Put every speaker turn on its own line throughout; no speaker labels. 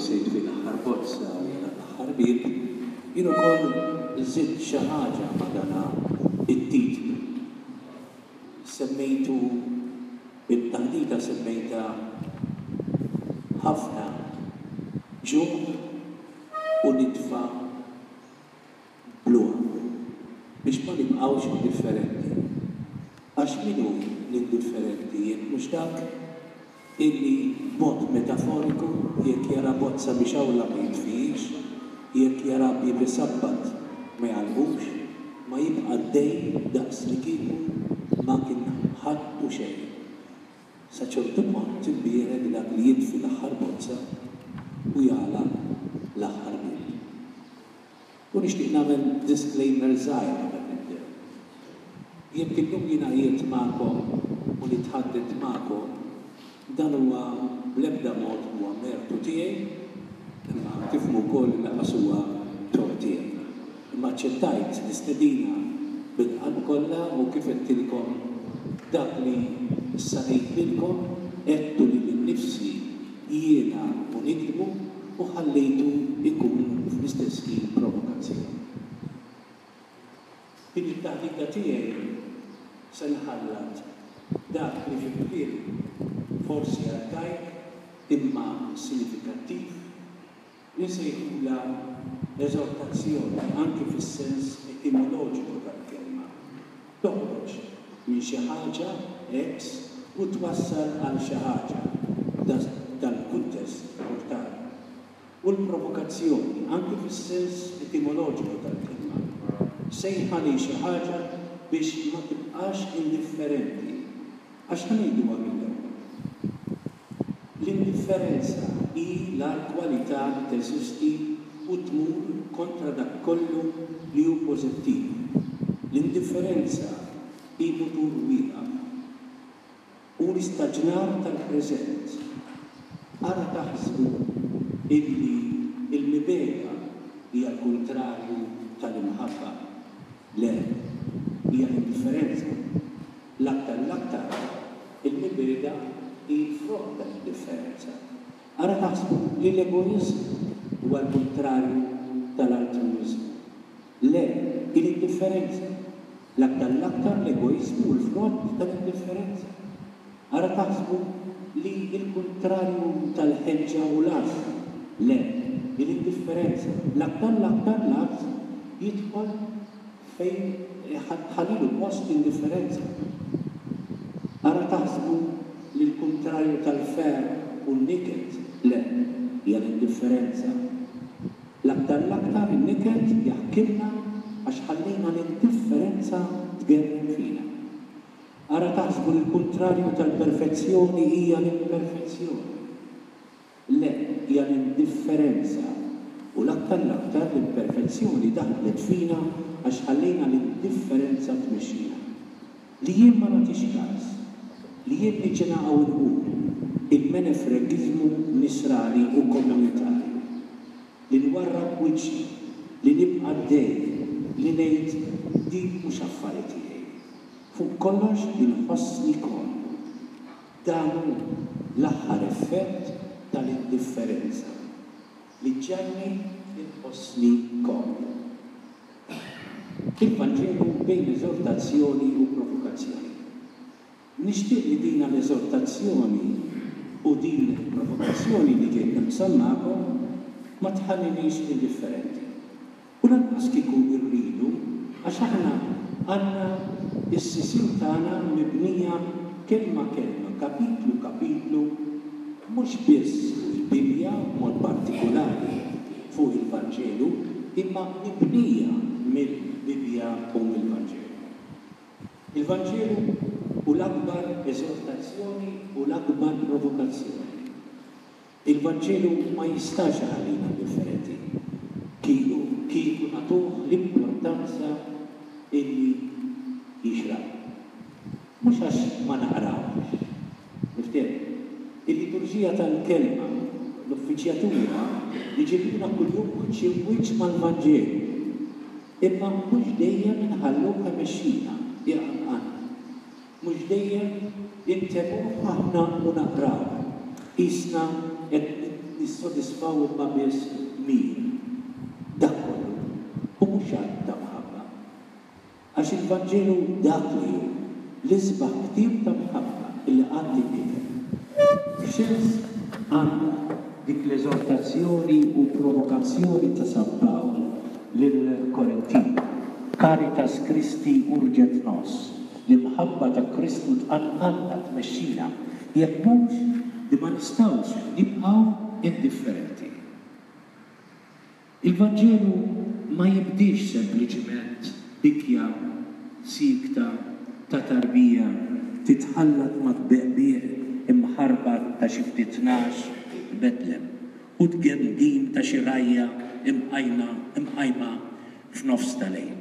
se jitfi l-aħħar bozza u jagħlaq l-aħħar bieb, jien ukoll żidt xi ħaġa ma' dana it-titlu. Semmejtu it-taħdita semmejtha Ħafna ġuħ u nitfa' bluha biex ma nibqgħux indifferenti. Għax min hu l-indifferenti jekk mhux dak illi b'mod metaforiku jekk jara bozza mixgħula ma jitfihiex, jekk jara bieb isabbat ma jagħlqux, ma jibqa' għaddej daqslikieku ma kien ħadd u xejn. Sa ċertu punt imbierek dak li jitfi l-aħħar bozza u jagħlaq l-aħħar bieb. U nixtieq nagħmel disclaimer żgħir qabel nibdew. Jekk illum jiena qiegħed magħkom u nitħaddet magħkom, dan huwa bl-ebda mod mhuwa mertu tiegħi, imma tifhmu wkoll li lanqas huwa tort tiegħi. Imma aċċettajt l-istedina bil-qalb kollha u kif għedtilkom dak li issa ngħid lilkom għedtu lili nnifsi jiena u niktbu u ħallejtu jkun fl-istess ħin provokazzjoni. Din it-taħdita tiegħi se nħallat dak li fi kliem forsi arkajk imma sinifikattiv insejħulha eżortazzjoni anki fis-sens etimoloġiku tal-kelma. Toħroġ minn xi ħaġa, ex, u twassal għal xi ħaġa, f'dal-kuntest mortali. U l-provokazzjoni, anki fis-sens etimoloġiku tal-kelma, sejħa lejn xi ħaġa biex ma tibqax indifferenti. Għax ħa ngħiduha mill-ewwel. L-indifferenza hi l-agħar kwalità li teżisti u tmur kontra dak kollu li hu pożittiv. L-indifferenza hi mutur wieqaf. Hu l-istaġnar tal-preżent. Ara taħsbu illi l-mibegħda hija l-kuntrarju tal-imħabba. Le, hija l-indifferenza. L-aktar l-aktar, il-mibegħda hi l-frott tal-indifferenza. Ara taħsbu li l-egoiżmu huwa l-kuntrarju tal-altruwiżmu. Le, hi l-indifferenza. L-aktar l-aktar l-egoiżmu hu l-frott tal-indifferenza. Ara taħsbu li l-kuntrarju tal-ħeġġa hu l-għażż. Le, hi l-indifferenza. L-aktar l-aktar l-għażż jidħol Fejn tħallilu post l-indifferenza. Ara taħsbu li l-kuntrarju tal-ferħ hu n-niket? Le, hija l-indifferenza. L-aktar l-aktar in-niket jaħkimna għax ħallejna l-indifferenza tgerrem fina. Ara taħsbu li l-kuntrarju tal-perfezzjoni hija l-imperfezzjoni? Le, hija l-indifferenza, u l-aktar l-aktar l-imperfezzjoni daħlet fina għax ħallejna l-indifferenza tmexxina. Li jien ma nagħtix kas, li jien niġi naqa' u nqum, il-menefregiżmu nisrani u komunitarju. Li nwarrab wiċċi, li nibqa' għaddej, li ngħid din mhux affari tiegħi. Fuq kollox li nħossni komdu. Dan hu l-aħħar effett tal-indifferenza, li ġġagħalni nħossni komdu. Il-Vanġelu bejn eżortazzjoni u provokazzjoni. Nixtieq li dina l-eżortazzjoni u din il-provokazzjoni li ġejt naqsam magħkom ma tħallinix indifferenti. U lanqas kieku rridu, għax aħna għandna s-sisien tagħna mibnija kelma kelma, kapitlu kapitlu, mhux biss fuq il-Bibbja, b'mod partikulari fuq il-Vanġelu, imma mibnija mill-Bibbja u mill-Vanġelu. Il-Vanġelu hu l-akbar eżortazzjoni u l-akbar provokazzjoni. Il-Vanġelu ma jistax iħallina indifferenti kieku kieku nagħtuh l-importanza illi jixraqlu. Mhux għax ma naqrawhx. Niftehmu. Il-liturġija tal-Kelma, l-uffiċjatura, jġibuna kuljum wiċċ imb wiċċ mal-Vanġelu. Imma mhux dejjem inħalluh imexxina, iqanqalna. Mhux dejjem intemmuh aħna u naqrawh, qisna qed. nissodisfaw imma biss dmir. Dak kollu hu mhux att ta' mħabba. Għax il-Vanġelu dak li hu, l-isbaħ ktieb ta' mħabba li qatt inkiteb. X'sens għandha dik l-eżortazzjoni u provokazzjoni ta' San Pawl lill-Korintin, Caritas Christi urget nos, l-imħabba ta' Kristu tqanqalna, tmexxina, jekk mhux li ma nistgħux nibqgħu indifferenti? Il-Vanġelu ma jibdiex sempliċiment bikja siekta ta' tarbija titħallat mat-tbeqbiq imħarbat ta' xi ftit nagħaġ f'Betlem u t-tgemgim ta' xi rgħajja imqajma imqajma f'nofs ta' lejl.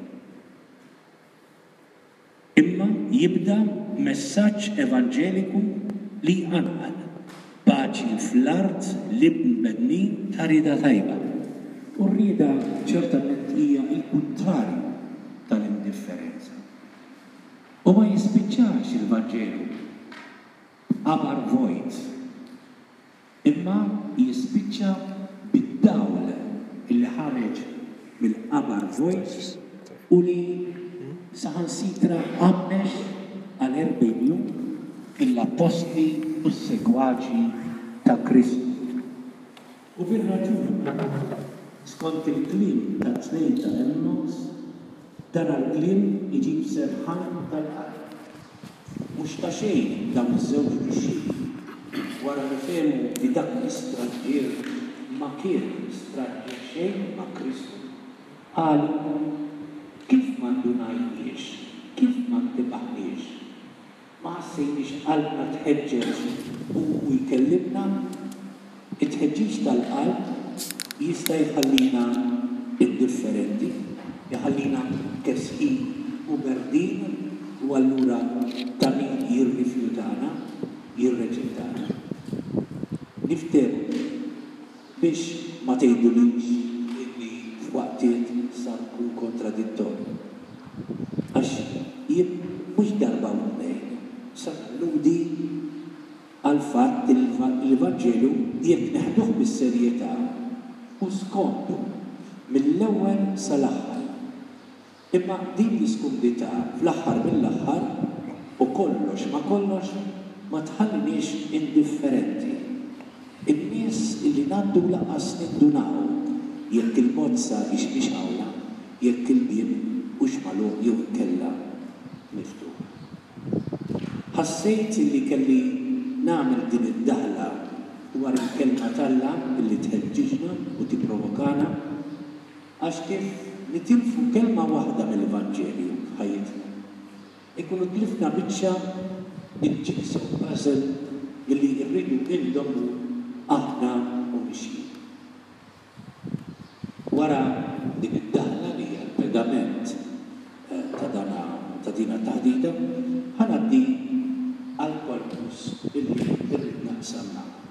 Imma jibda b'messaġġ evanġeliku li jqanqal paċi fl-art lill-bnedmin ta' rieda tajba. U r-rieda ċertament hija l-kuntrarju tal-indifferenza. U ma jispiċċax il-Vanġelu b'qabar vojt. Imma jispiċċa bid-dawl li ħareġ mill-qabar vojt u li saħansitra għammex għal 40 jum lill-appostli u s-segwaċi ta' Kristu. U bir-raġun, skont il-kliem tat-tnejn ta' Għemmaws, dan għall-kliem iġib serħan tal-qalb. Mhux ta' xejn dawn iż-żewġ dixxipli, wara li fehmu li dak l-istranġier ma kien stranġier xejn ma' Kristu, qalu, Kif ma ndunajniex, kif ma ntibaħniex? Ma ħassejniex qalbna tħeġġeġ hu u jkellimna? It-tħeġġiġ tal-qalb jista' jħallina indifferenti, iħallina kesħin u berdin u allura ta' min jirrifjutana, jirreġettana. Niftehmu. Biex ma tgħidulix illi f'waqtiet sa nkun kontradittorju. Għax jien mhux darba u tnejn sa nalludi għall-fatt li l-Vanġelu jekk neħduh bis-serjetà hu skomdu mill-ewwel sal-aħħar. Imma din l-iskumdità fl-aħħar mill-aħħar u kollox ma' kollox ma tħalliniex indifferenti. In-nies li ngħaddu lanqas nindunaw jekk il-bozza hix mixgħula, jekk il-bieb hux magħluq jew inkella miftuħ. Ħassejt li kelli nagħmel din id-daħla dwar il-Kelma t'Alla li tħeġġiġna u tipprovokana. Għax kif nitilfu kelma waħda mill-Vanġelju f'ħajjitna, inkunu tlifna biċċa mill-jigsaw puzzle li rridu indommu aħna u mixjin. Wara din id-daħla li hija l-pedament ta' dan ta' din it-taħdita, ħa ngħaddi għall-korpus illi rrid naqsam magħkom.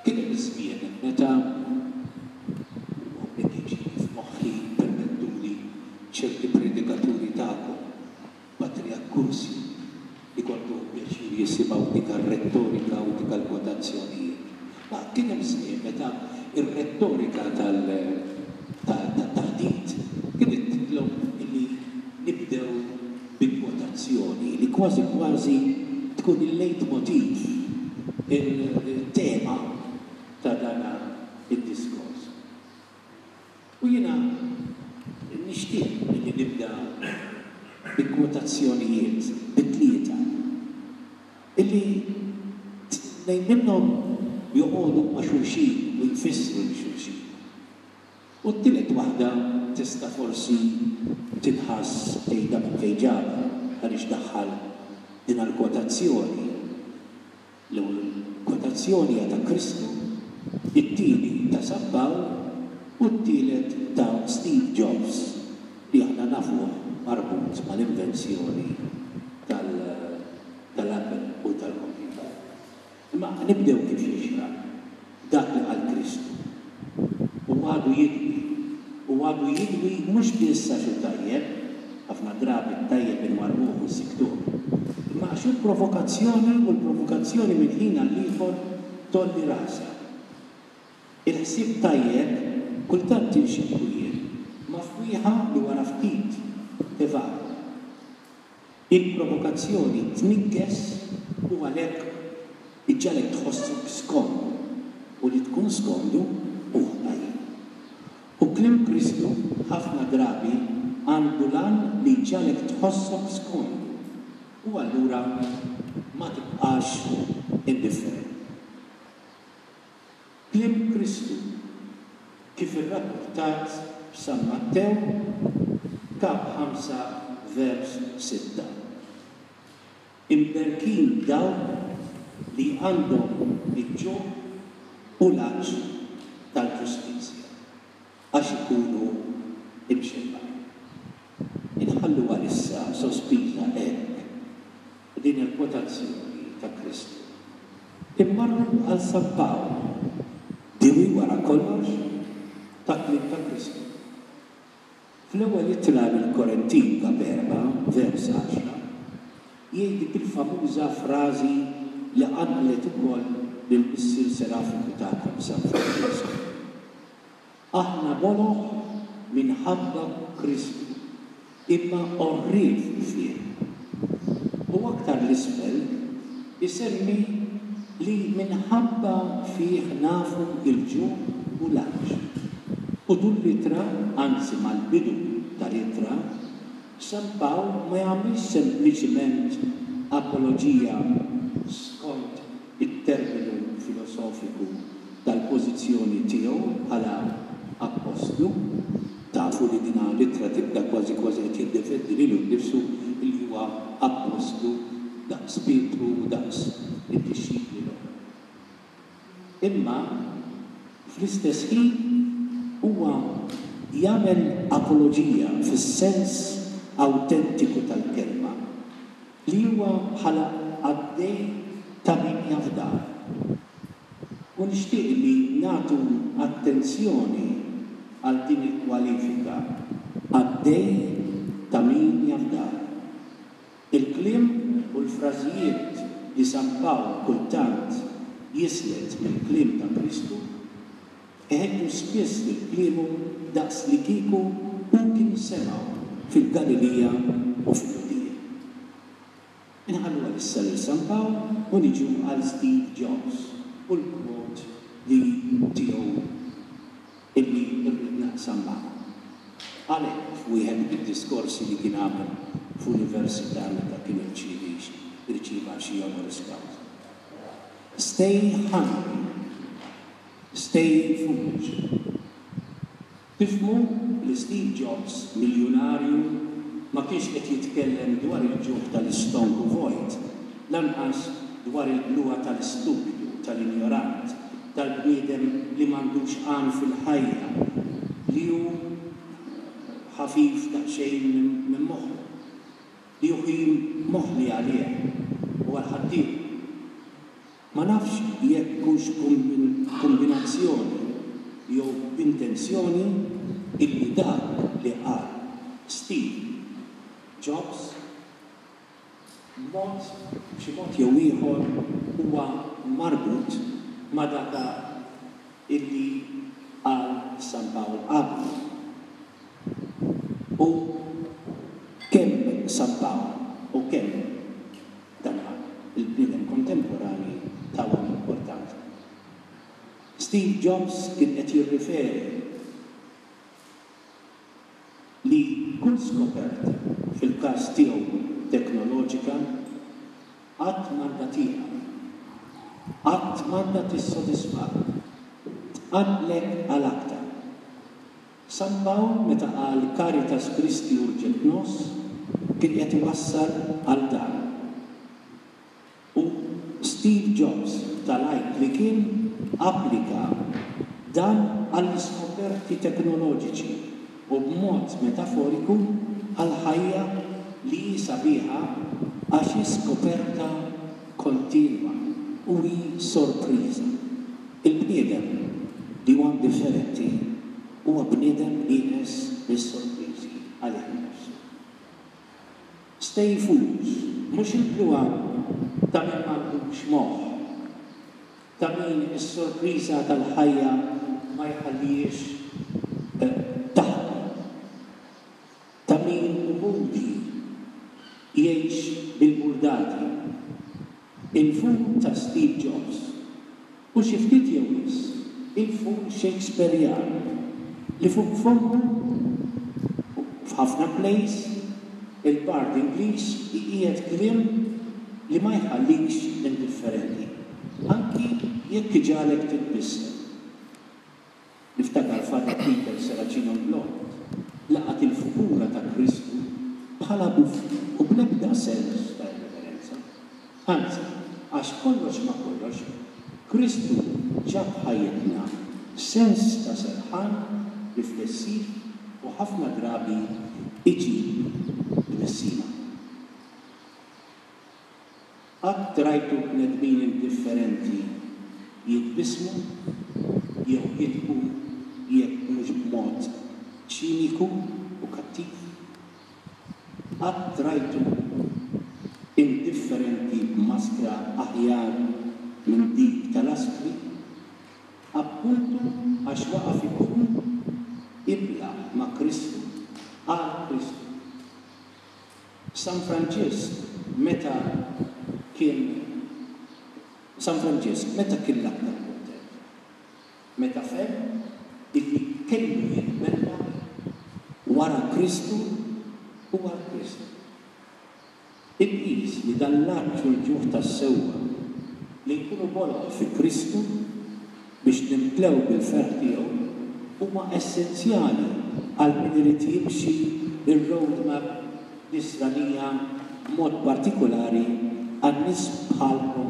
Kien hemm żmien meta, u hawnhekk jiġini f'moħħi, permettuli, ċerti predikaturi tagħkom, Patri Accursio, li kontu pjaċir jisimgħu dik ar-rettorika u dik l-kwotazzjonijiet. Ma kien hemm żmien meta r-rettorika tat-taħdit kienet titlob li nibdew bi kwotazzjoni li kważi kważi tkun il-leitmotiv, il-tema ta' dan id-diskors. U jiena nixtieq li nibda bi kwotazzjonijiet, bi tlieta, illi tnejn minnhom joqogħdu ma' xulxin u jfissru lil xulxin. U t-tielet waħda tista' forsi tinħass tgħidha minn fejn ġabha, għaliex daħħal din l-kwotazzjoni. L-ewwel kwotazzjoni hija ta' Kristu, it-tieni ta' San Pawl u t-tielet ta' Steve Jobs li aħna nafuh marbut mal-invenzjoni tal-Apple u tal-kompjuter. Imma nibdew kif jixraq, b'dak li qal Kristu. U għadu jidwi. U għadu jidwi mhux biss għax hu tajjeb, ħafna drabi t-tajjeb inwarrbuh u nsikktuh, imma għax hu provokazzjoni u l-provokazzjoni minn ħin għall-ieħor Tgħolli rasha. Il-ħsieb tajjeb kultant inxibku jien ma' fwieħa li wara ftit tevapora. Il-provokazzjoni tniggeż u għalhekk iġġagħlek tħossok skomdu, u li tkun skomdu hu ħajja. U kliem Kristu ħafna drabi għandu l-għan li jġagħlek tħossok skomdu u allura ma tibqax indifferenti. Kliem Kristu, kif irrappurtat f'San Mattew, Kap 5, vers 6. Imberkin dawk li għandhom il-ġuħ u l-għatx tal-ġustizzja, għax ikunu mxebbgħin. Inħallu għalissa sospiża hekk din il-kwotazzjoni ta' Kristu. Immorru għal San Pawl, diwi wara kollox ta' kliem ta' Kristu. Fl-ewwel ittra lill-Korintin kap 4, vers 10, jgħid dik il-famuża frażi li qanqlet ukoll lill-Missier Serafiku tagħkom San Franġisku. Aħna boloh minħabba Kristu, imma għorrief fih. U aktar 'l isfel isemmi li minħabba fih nafu l-ġuħ u l-għatx. U tul l-ittra, anzi mal-bidu tal-ittra, San Pawl ma jagħmilx sempliċiment apoloġija skont it-terminu filosofiku tal-pożizzjoni tiegħu bħala appostlu, tafu li dina l-ittra tibda kważi kważi qed jiddefendi lilu nnifsu li huwa appostlu daqs Pietru u daqs id-dixxipli l-oħra. Imma fl-istess ħin huwa jagħmel apoloġija fis-sens awtentiku tal-kelma li huwa bħala qaddej ta' min jafdah. U nixtieq li nagħtu attenzjoni għal din il-kwalifika, qaddej ta' min jafdah. Il-kliem u l-frażijiet li San Pawl kultant jislet mill-kliem ta' Kristu, iħeġġu spiss lil kliemu daqslikieku hu kien semgħu fil-Galilija u fil-Lhudija. Inħallu għalissa lil San Pawl u niġu għal Steve Jobs u l-quote li tiegħu illi rrid naqsam magħkom. Qal hekk f'wieħed mid-diskorsi li kien għamel f'università meta kien irċievi rċieva xi honoris causa. Stay hungry, stay foolish. Tifhmu li Steve Jobs, miljunarju, ma kienx qed jitkellem dwar il-ġuħ tal-istonku vojt, lanqas dwar il-bluha tal-istupidu, tal-injorant, tal-bniedem li m'għandux għan fil-ħajja, li hu ħafif daqsxejn minn moħħu, li hu ħin moħli għalih u għal ħaddieħor. Ma nafx jekk hux b'kumbinazzjoni jew b'intenzjoni illi dak li qal Steve Jobs b'mod, b'xi mod jew ieħor huwa marbut ma' dak illi qal San Pawl qablu. U kemm San Pawl u kemm Dan il-bniedem kontemporanji tawhom importanza. Steve Jobs kien qed jirriferi li kull skoperta, fil-każ tiegħu teknoloġika, qatt m'għandha tieqaf, qatt m'għandha tissodisfak, tqanqlek għal aktar. San Pawl meta qal Caritas Christi urget nos kien qed iwassal għal dan. U Steve Jobs ta' lajk li kien applika dan għall-iskoperti teknoloġiċi u b'mod metaforiku għall-ħajja li hi sabiħa għax hi skoperta kontinwa u hi sorpriża. Il-bniedem li huwa indifferenti huwa bniedem nieqes mis-sorpriżi għalih innifsu. Stay foolish, mhux il-bluha ta' min m'għandux moħħ. Ta' min is-sorpriża tal-ħajja ma jħallihiex taħdem. Ta' min hu moody jgħix bil-burdati. Il-fool ta' Steve Jobs u xi ftit jew wisq il-fool Shakespearjan li fuq fommu u f'ħafna plays il-bard Ingliż iqiegħed kliem li ma jħallikx indifferenti, anki jekk iġagħlek titbissem. Niftakar Father Peter Serracino Blond laqat il-figura ta' Kristu bħala buffu u bl-ebda sens ta' irreverenza. Anzi, għax kollox ma' kollox, Kristu ġab f'ħajjitna sens ta' serħan riflessiv u ħafna drabi iġib tbissima. Qatt rajtu bnedmin indifferenti jitbissmu jew jidħku jekk mhux b'mod ċiniku u kattiv? Qatt rajtu indifferenti b'maskra aħjar minn dik tal-aspri? Appuntu għax waqaf ikun iblah ma' Kristu, għal Kristu. San Franġisk meta kien San Franġisk meta kien l-aktar kuntent? Meta fehem illi kellu jitbella wara Kristu u għal Kristu. Inqis li dan l-għatx u l-ġuħ tas-sewwa li nkunu boloh fi Kristu biex nimtlew bil-ferħ tiegħu huma essenzjali għal min irid jimxi r-roadmap Nisranija b'mod partikulari għan-nies bħalkom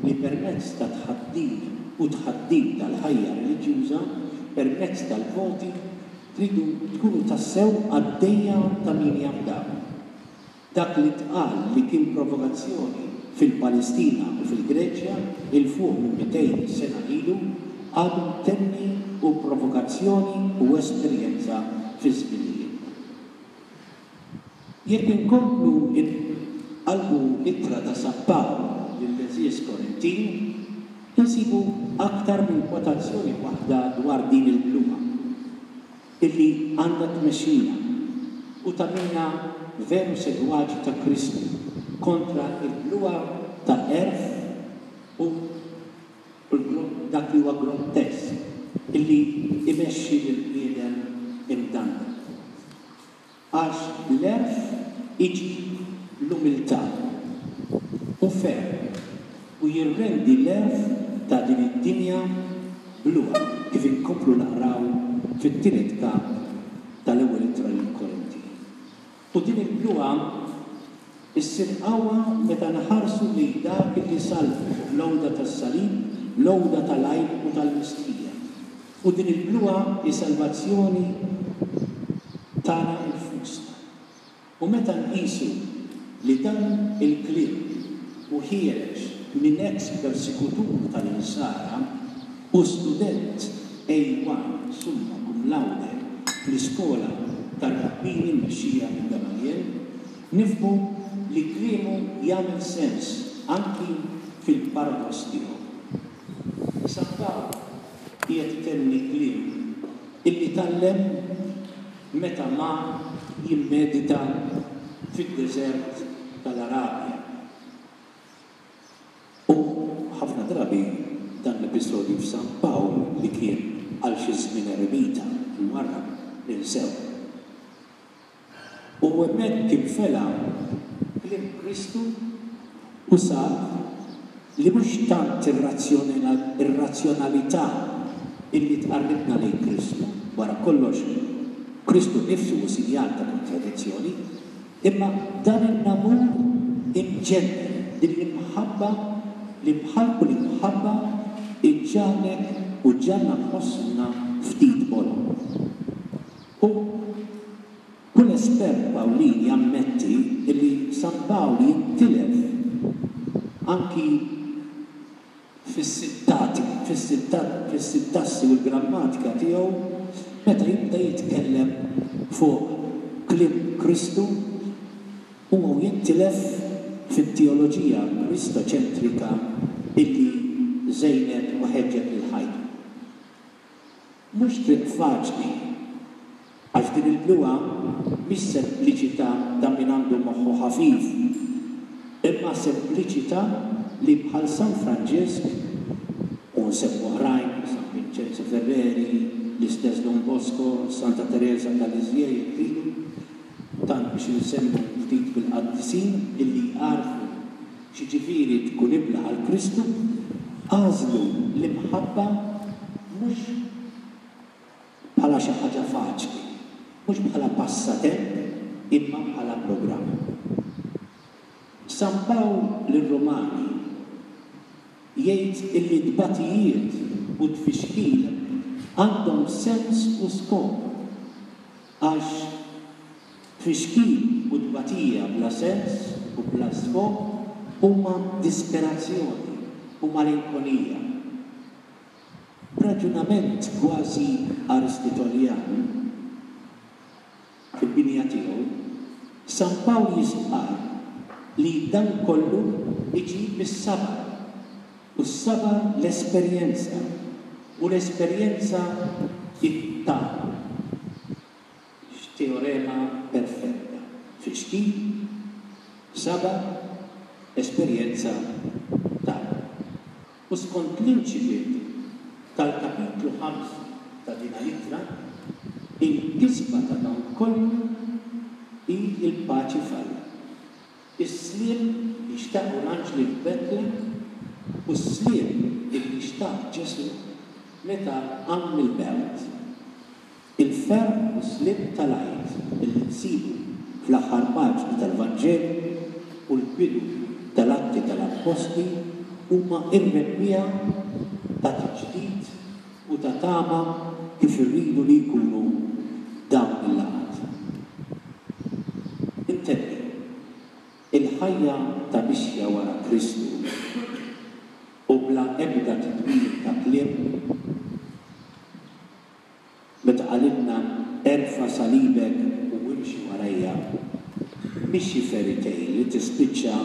li permezz ta' tħaddin u tħaddim tal-ħajja reliġjuża permezz tal-voti tridu tkunu tassew qaddejja ta' min jafdakom. Dak li ntqal li kien provokazzjoni fil-Palestina u fil-Greċja 'il fuq minn 200 sena ilu għadu mtenni hu provokazzjoni u esperjenza fi żminijietna. Jekk inkomplu nqallbu l-ittra ta' San Pawl lill-għeżież Korintin, insibu aktar minn kwotazzjoni waħda dwar din il-bluha. Illi għandha tmexxina u tagħmilna veru segwaċi ta' Kristu kontra l-bluha ta' għerf u dak li huwa grottesk illi jmexxi lill-bniedem imdandel. Għax l-għerf iġib l-umiltà. Hu ferm u jirrendi l-għerf ta' din id-dinja bluha, kif inkomplu naqraw fit-tielet kap tal-Ewwel Ittra lill-Korintin. U din il-bluha ssir qawwa meta nħarsu lejn dak li sallbu fuq l-għuda tas-salib, l-għuda tal-għajb u tal-mistħija. U din il-bluha hi salvazzjoni tagħna infusna. U meta nqisu li dan il-kliem hu ħiereġ minn eks persekutur tal-Insara u student A1 summa cum laude fl-iskola tar-rabbini mmexxija minn Gamaljel, nifhmu li kliemu jagħmel sens anki fil-paradoss tiegħu. San Pawl qiegħed itenni kliem illi tgħallem meta mar jimmedita fid-deżert tal-Arabja. U ħafna drabi dan l-episodju f'San Pawl li kien għal xi żmien eremita, imwarrab, ninsewh. U hemmhekk infela kliem Kristu u sab li mhux tant ir-razzjonalità illi tqarribna lejn Kristu, wara kollox Kristu nnifsu hu sinjal ta' kontradizzjoni, imma dan in-namur imġennen, din l-imħabba li bħal kull imħabba iġġagħlek u ġġagħalna nħossuna ftit boloh. U kull espert Pawlin jammetti li San Pawl jintilef anki fis-sittati, fis-sintassi u l-grammatika tiegħu meta jibda jitkellem fuq kliem Kristu Huwa u jintilef fit-teoloġija kristoċentrika illi żejnet u. u ħeġġet lil ħajtu. Mhux triq faċli, għax din il-bluha mhix sempliċità ta' min għandu moħħu ħafif, imma sempliċità li bħal San Franġisk, u nsemmu oħrajn, San Vinċenzo Ferreri, l-istess Don Bosco, Santa Tereża ta' Lisieux jekk tridu, tant biex insemmu ftit mill-qaddisin illi għarfu x'jiġifieri tkun iblah għal Kristu, għażlu l-imħabba mhux bħala xi ħaġa faċli, mhux bħala passatemp imma bħala programm. San Pawl lir-Rumani jgħid illi t-tbatijiet u t-tfixkil għandhom sens u skop Għax tfixkil u tbatija bla sens u bla skop huma disperazzjoni u malinkonija. B'raġunament kważi Aristitoljan, fil-binja tiegħu, San Pawl jistqarr li dan kollu iġib is-sabar, u s-sabar l-esperjenza, u l-esperjenza t-tama. X'teorema perfetta! Tfixkil, sabar, esperjenza, tama. U skont l-inċipit tal-kapitlu ħamsa ta' dina l-ittra, il-kisba ta' dan kollu hi l-paċi f'Alla. Is-sliem li xtaqu l-anġli f'Betlem u s-sliem illi xtaq Ġesù meta qam mill-mewt. Il-ferħ u s-sliem tal-Għid illi nsibu fl-aħħar paġni tal-Vanġelu u l-bidu tal-Atti tal-Appostli huma r-rebbiegħa ta' tiġdid u ta' tama kif irridu li jkunu dawn il-laqgħat. Intenni, il-ħajja ta' mixja wara Kristu u bla ebda tidwir ta' kliem, meta qalilna erfa' salibek u imxi warajja, mhix xi fairy tale li tispiċċa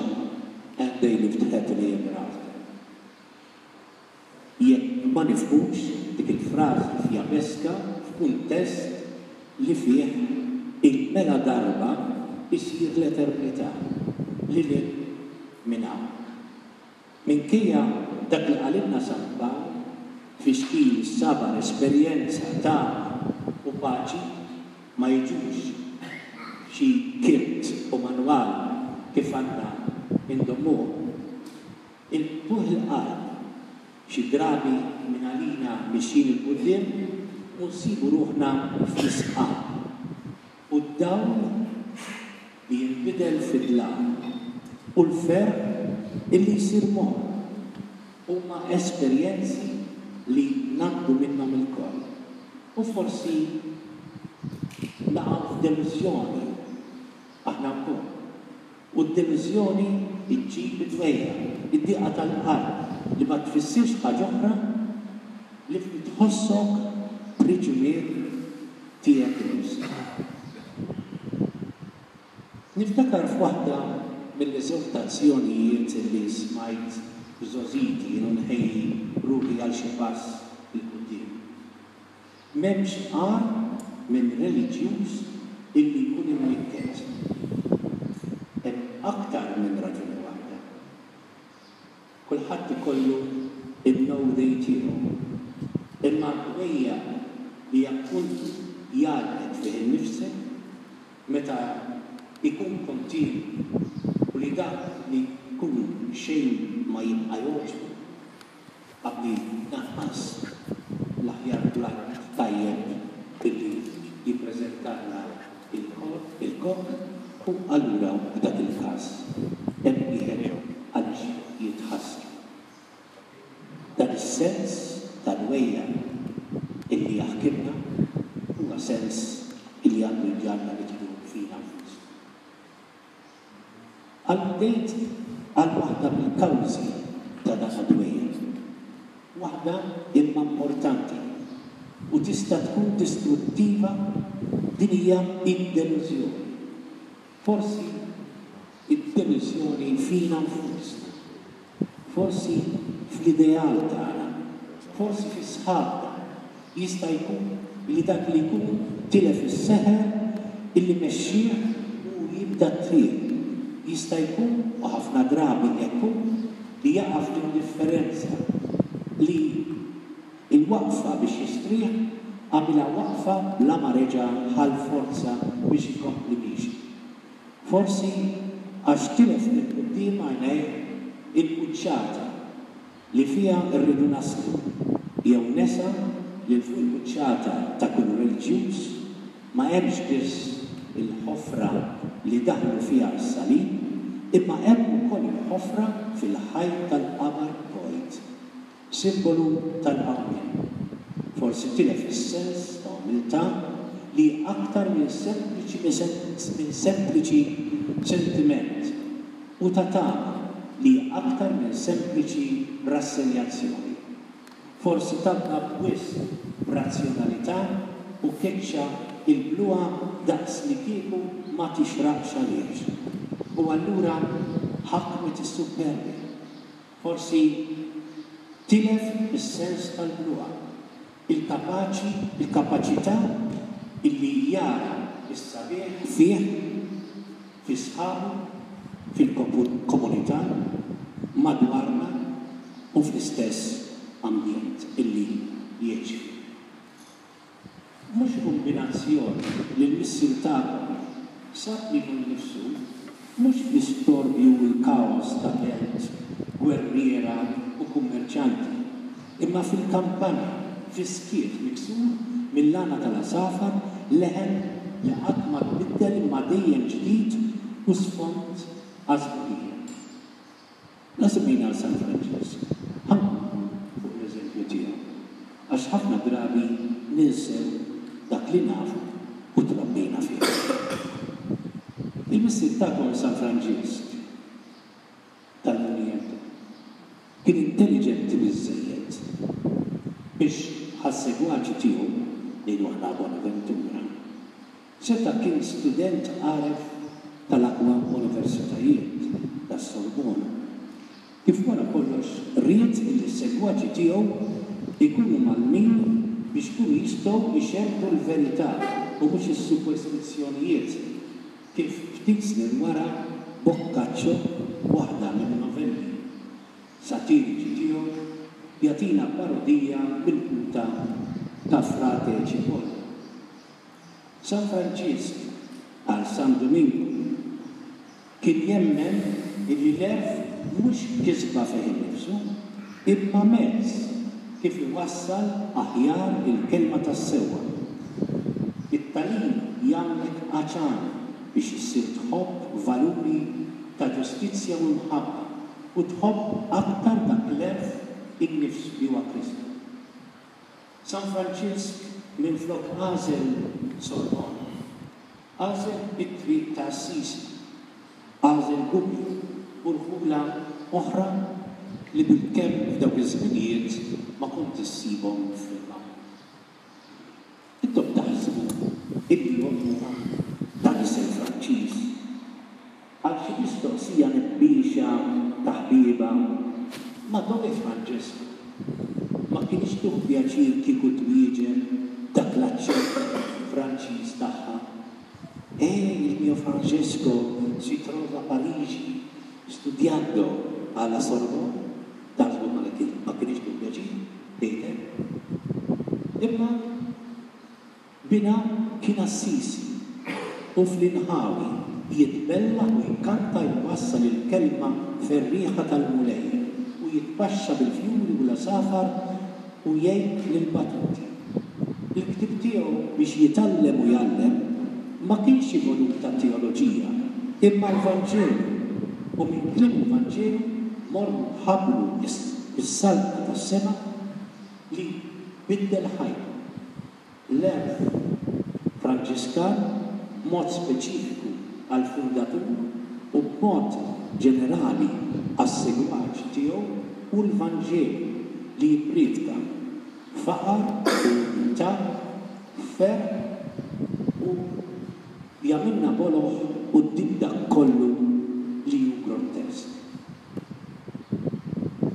and they lived happily ever after. Jekk ma nifhmux dik il-frażi fjabeska f'kuntest li fih il-mela darba jsir l-eternità, lil hinn minn hawn. Minkejja dak li qalilna San Pawl, tfixkil, sabar, esperjenza, tama u paċi ma jiġux f'xi kit u manwal kif għandna ndommuhom. Il-qtugħ il-qalb, xi drabi mingħalina mixjin 'il quddiem u nsibu ruħna fl-isqaq, u d-dawl li jinbidel fi dlam, u l-ferħ illi jsir morr, huma esperjenzi li ngħaddu minnhom ilkoll. U forsi naqgħu f'delużjoni aħna wkoll. U d-delużjoni ġġib id-dwejjaq, id-diqa tal-qalb li ma tfissirx ħaġa oħra ħlief li tħossok priġunier tiegħek innifsek. Niftakar f'waħda mill-eżortazzjonijiet li smajt f'żgħożiti jien u nħejji ruħi għal xi pass 'il quddiem. M'hemmx agħar minn reliġjuż illi jkun imnikket. Hemm aktar minn raġuni waħda. Kulħadd ikollu n-no day tiegħu. Imma d-dwejjaq li appuntu jgħallqek fih innifsek meta jkun kontinwu u li dak li jkun xejn ma jibqa' jogħġbu, Qabli lanqas l-aħjar platt tajjeb illi jippreżentalna il-kok u allura f'dak il-każ hemm wieħed għaliex jitħassar. Dan is-sens ta' dwejjaq illi jaħkimna huwa sens illi għandu jġagħalna nidħlu fina nfusna. Alludejt għal waħda mill-kawżi ta' dan id-dwejjaq. Waħda imma importanti u tista' tkun distruttiva, din hija d-delużjoni. Forsi d-delużjoni fina nfusna. Forsi fl-ideal tagħna. Forsi fi sħabna jista' jkun li dak li jkun tilef is-seħer illi mexxieh u jibda t-triq. Jista' jkun, u ħafna drabi hekk hu, li jaqa' fl-indifferenza, li l-waqfa biex jistrieħ għamilha waqfa bla ma reġa' ħa l-forza biex ikompli miexi. Forsi għax tilef minn quddiem għajnejh il-quċċata li fiha rridu naslu, jew nesa li 'l fuq il-quċċata ta' kull reliġjuż ma hemmx biss il-ħofra li daħlu fiha s-salib, imma hemm ukoll il-ħofra fil-ħajt tal-qabar vojt, simbolu tal-qawmien. Forsi tilef is-sens ta' umiltà li hi aktar minn sempliċi minn sempliċi sentiment, u ta' tama li hi aktar minn sempliċi rassenjazzjoni. Forsi tgħabba b'wisq b'razzjonalità u keċċa l-bluha daqslikieku ma tixraqx għalih. U allura ħakmet is-suppervja. Forsi tilef is-sens tal-bluha, il-kapaċi, il-kapaċità illi jara s-sabiħ fih, fi sħabu, fil-komunità, madwarna u fl-istess ambjent illi jgħix fih. Mhux kumbinazzjoni li l-Missier tagħkom sab lilu nnifsu mhux fl-istorbju u l-kaos ta' belt gwerriera u kummerċjanti, imma fil-kampanja, fis-skiet miksur mill-għana tal-għasafar, leħen li qatt ma tbiddel imma dejjem ġdid u sfond għas-sbuħija. La semmejna 'l San Franġisk, ħa nkomplu fuq l-eżempju tiegħu, għax ħafna drabi ninsew dak li nafu u trabbejna fih. Il-missier tagħkom San Franġisk tal-Muniento kien intelliġenti biżżejjed biex bħas-segwaċi tiegħu, ngħidu aħna Bonaventura, Seta' kien student għaref tal-aqwa universitajiet, tas-Sorbona. Kif wara kollox ried li s-segwaċi tiegħu jkunu mgħallmin biex ikunu jistgħu jxerrdu l-verità u mhux is-superstizzjonijiet, kif ftit snin wara Boccaccio, waħda min-novelli satiriċi tiegħu, jagħtina parodija milquta ta' Frate Cipolla. San Franġisk, bħal San Duminku, kien jemmen illi l-għerf mhux kisba fih innifsu, imma mezz kif iwassal aħjar il-kelma tas-sewwa. It-tagħlim jagħmlek għatxan biex issir tħobb valuri ta' ġustizzja u mħabba u tħobb aktar dak l-għerf innifsu li huwa Kristu. San Franġisk minflok għażel Sorbonne, għażel it-triq ta' Assisi, għażel Gubbio u rħula oħra li bilkemm f'dawk iż-żminijiet ma kont issibhom fil-mappa. Intom taħsbu illi ommu ta' nisel Franċiż? Għal xi mistoqsija nebbiexa ta' ħbiebha, Ma dove Francesco? Ma kinitx tieħu pjaċir kieku twieġeb b'dak l-aċċent Franċiż tagħha, Eh, il mio Francesco si trova a Parigi studiando alla Sorbonne. Taħsbu ma kinitx tieħu pjaċir tgħid hekk? Imma Binha kien Assisi u fl-inħawi jitbellaħ u jkanta jwassal il-kelma ferrieħa tal-Mulej u jitpaxxa bil-fjuri u l-għasafar u jgħin lill-batuti. Il-ktieb tiegħu biex jitgħallem u jgħallem ma kienx xi volum ta' teoloġija imma l-Vanġelu u minn kliem il-Vanġelu morru ħabbru s-Saltna tas-Sema li biddel ħajtu. L-għerf Franġiskan, b'mod speċifiku għall-fundatur u b'mod ġenerali għas-segwaċi tiegħu, hu l-Vanġelu li jippriedka faqar u umiltà, ferħ u jagħmilna boloh quddiem dak kollu li hu grottesk.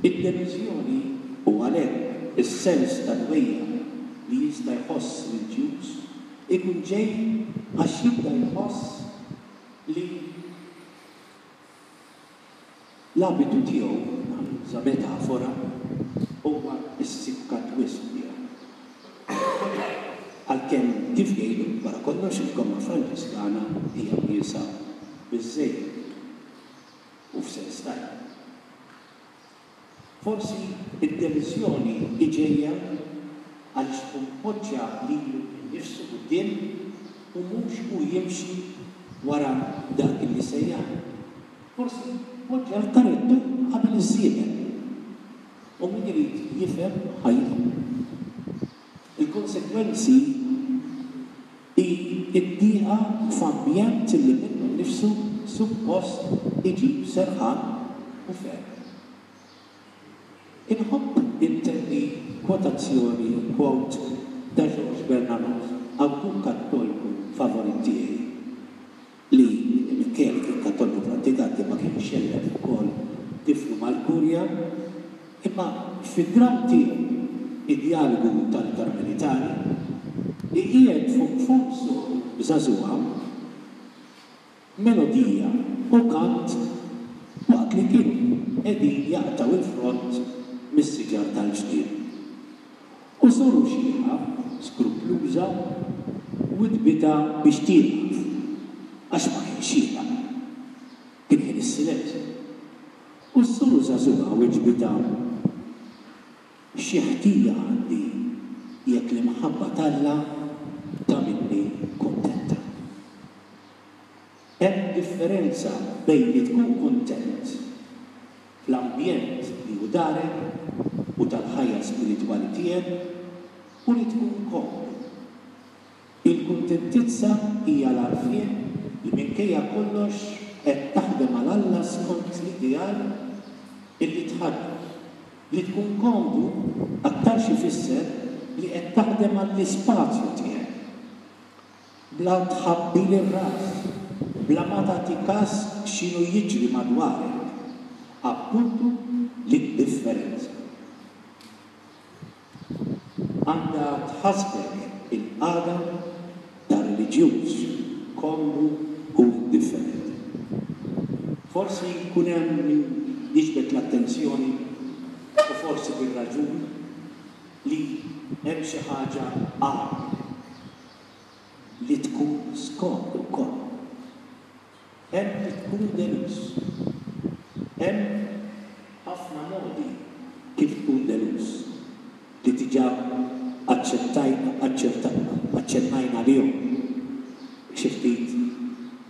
Id-delużjoni, u għalhekk. Is-sens ta' dwejjaq li jista' jħoss reliġjuż ikun ġej għax jibda jħoss li l-abitu tiegħu, ħa nuża metafora, huwa ssikkat wisq miegħu. Għalkemm kif jgħidu, wara kollox il-gomma Franġiskana hija wiesgħa biżżejjed u f'sens tajjeb. Forsi d-delużjoni hi ġejja għaliex ikun poġġa lilu nnifsu quddiem u mhux hu jimxi wara dak li sejjaħlu. Forsi poġġa l-karettu qabel iż-żiemel. U min irid jifhem ħa jifhem. Il-konsegwenzi hi d-dieqa f'ambjent li minnu nnifsu suppost iġib serħan u ferħ. Inħobb intenni kwotazzjoni, quote, ta' Georges Bernanos, awtur Kattolku favorit tiegħi, li minkejja li kien Kattoliku prattikanti ma kienx xellef ukoll tiflu mal-Kurja, imma fid-dramm tiegħu Id-Djalogu tal-Karmelitani, iqiegħed fuq fomm soru żagħżugħa melodija u kant waqt li kienu qegħdin jaqtgħu l-frott mis-siġar tal-ġnien. U soru xiħa, skrupluża, widdbitha biex tieqaf, għax ma kienx xieraq. Kien ħin is-silenzju. U s-soru żagħżugħa weġbitha, Xi ħtija għandi jekk l-imħabba t'Alla tagħmilni kuntenta? Hemm differenza bejn li tkun kuntent fl-ambjent li hu darek u tal-ħajja spiritwali tiegħek u li tkun komdu. Il-kuntentizza hija l-għarfien li minkejja kollox qed taħdem għal Alla skont l-ideal illi tħaddan. Li tkun komdu aktarx ifisser li qed taħdem għall-ispazju tiegħek. Bla tħabbil ir-ras, bla ma tagħti kas x'inhu jiġri madwarek, appuntu l-indifferenza. Għandha tħassbek il-qagħda ta' reliġjuż komdu u indifferenti. Forsi jkun hemm min jiġbed l-attenzjoni, u forsi bir-raġun, li hemm xi ħaġa agħar minn hekk, li tkun skomdu wkoll. Hemm li tkun deluż. Hemm ħafna modi kif tkun deluż, li diġà aċċettajna, aċċennajna għalihom xi ftit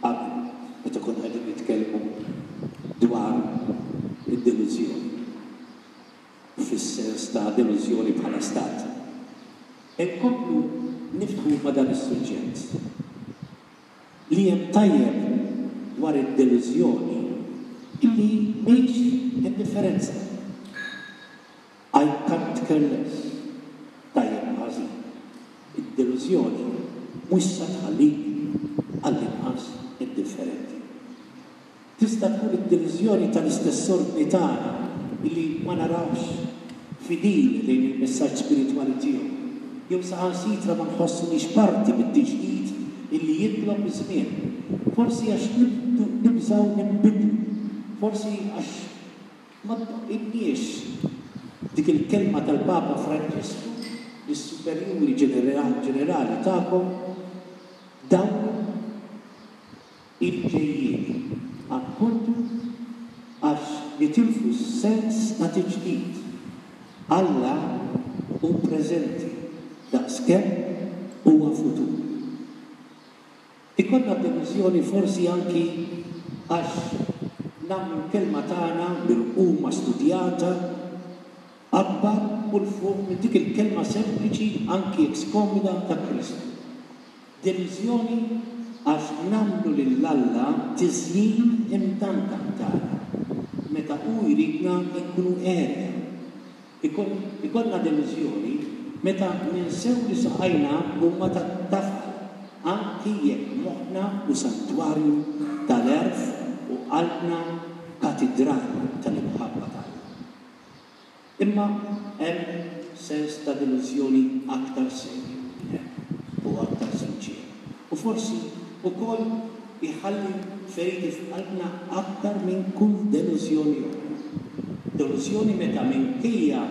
qabel meta konna qegħdin nitkellmu dwar id-delużjoni. fis-sens ta' delużjoni bħala stat. Inkomplu niftħu ma' dan is-suġġett. Li hemm tajjeb dwar id-delużjoni illi mhix indifferenza. I can't care less, tajjeb u ħażin. Id-delużjoni mhux sa tħallik għall-inqas indifferenti. Tista' tkun id-delużjoni tal-istess ordni tagħna li ma narawhx fidil lejn il-messaġġ spiritwali tiegħu, jew saħansitra ma nħossuniex parti mit-tiġdid illi jitlob iż-żmien, forsi għax nibżgħu ninbidlu, forsi għax ma tdoqqilniex dik il-kelma tal-Papa Franġisku lis-superjuri ġenerali tagħkom, dawru il-ġejjieni, appuntu għax nitilfu s-sens ta' tiġdid. Alla hu preżenti daqskemm huwa futur. Ikollna delużjoni forsi anki għax nagħmlu l-kelma tagħna mirquma studjata akbar u 'l fuq minn dik il-kelma sempliċi anki jekk skomda ta' Kristu. Delużjoni għax nagħmlu lil Alla tiżjin imdandaq tagħna meta hu jridna nkunu għerja. Ikollna delużjoni meta ninsew li saqajna huma tat-tafal anki jekk moħħna hu santwarju tal-għerf u qalbna katidral tal-imħabba t'Alla. Imma hemm sens ta' delużjoni aktar serju minn hekk u aktar sinċier. U forsi wkoll iħalli feriti f'qalbna aktar minn kull delużjoni oħra. Delużjoni meta minkejja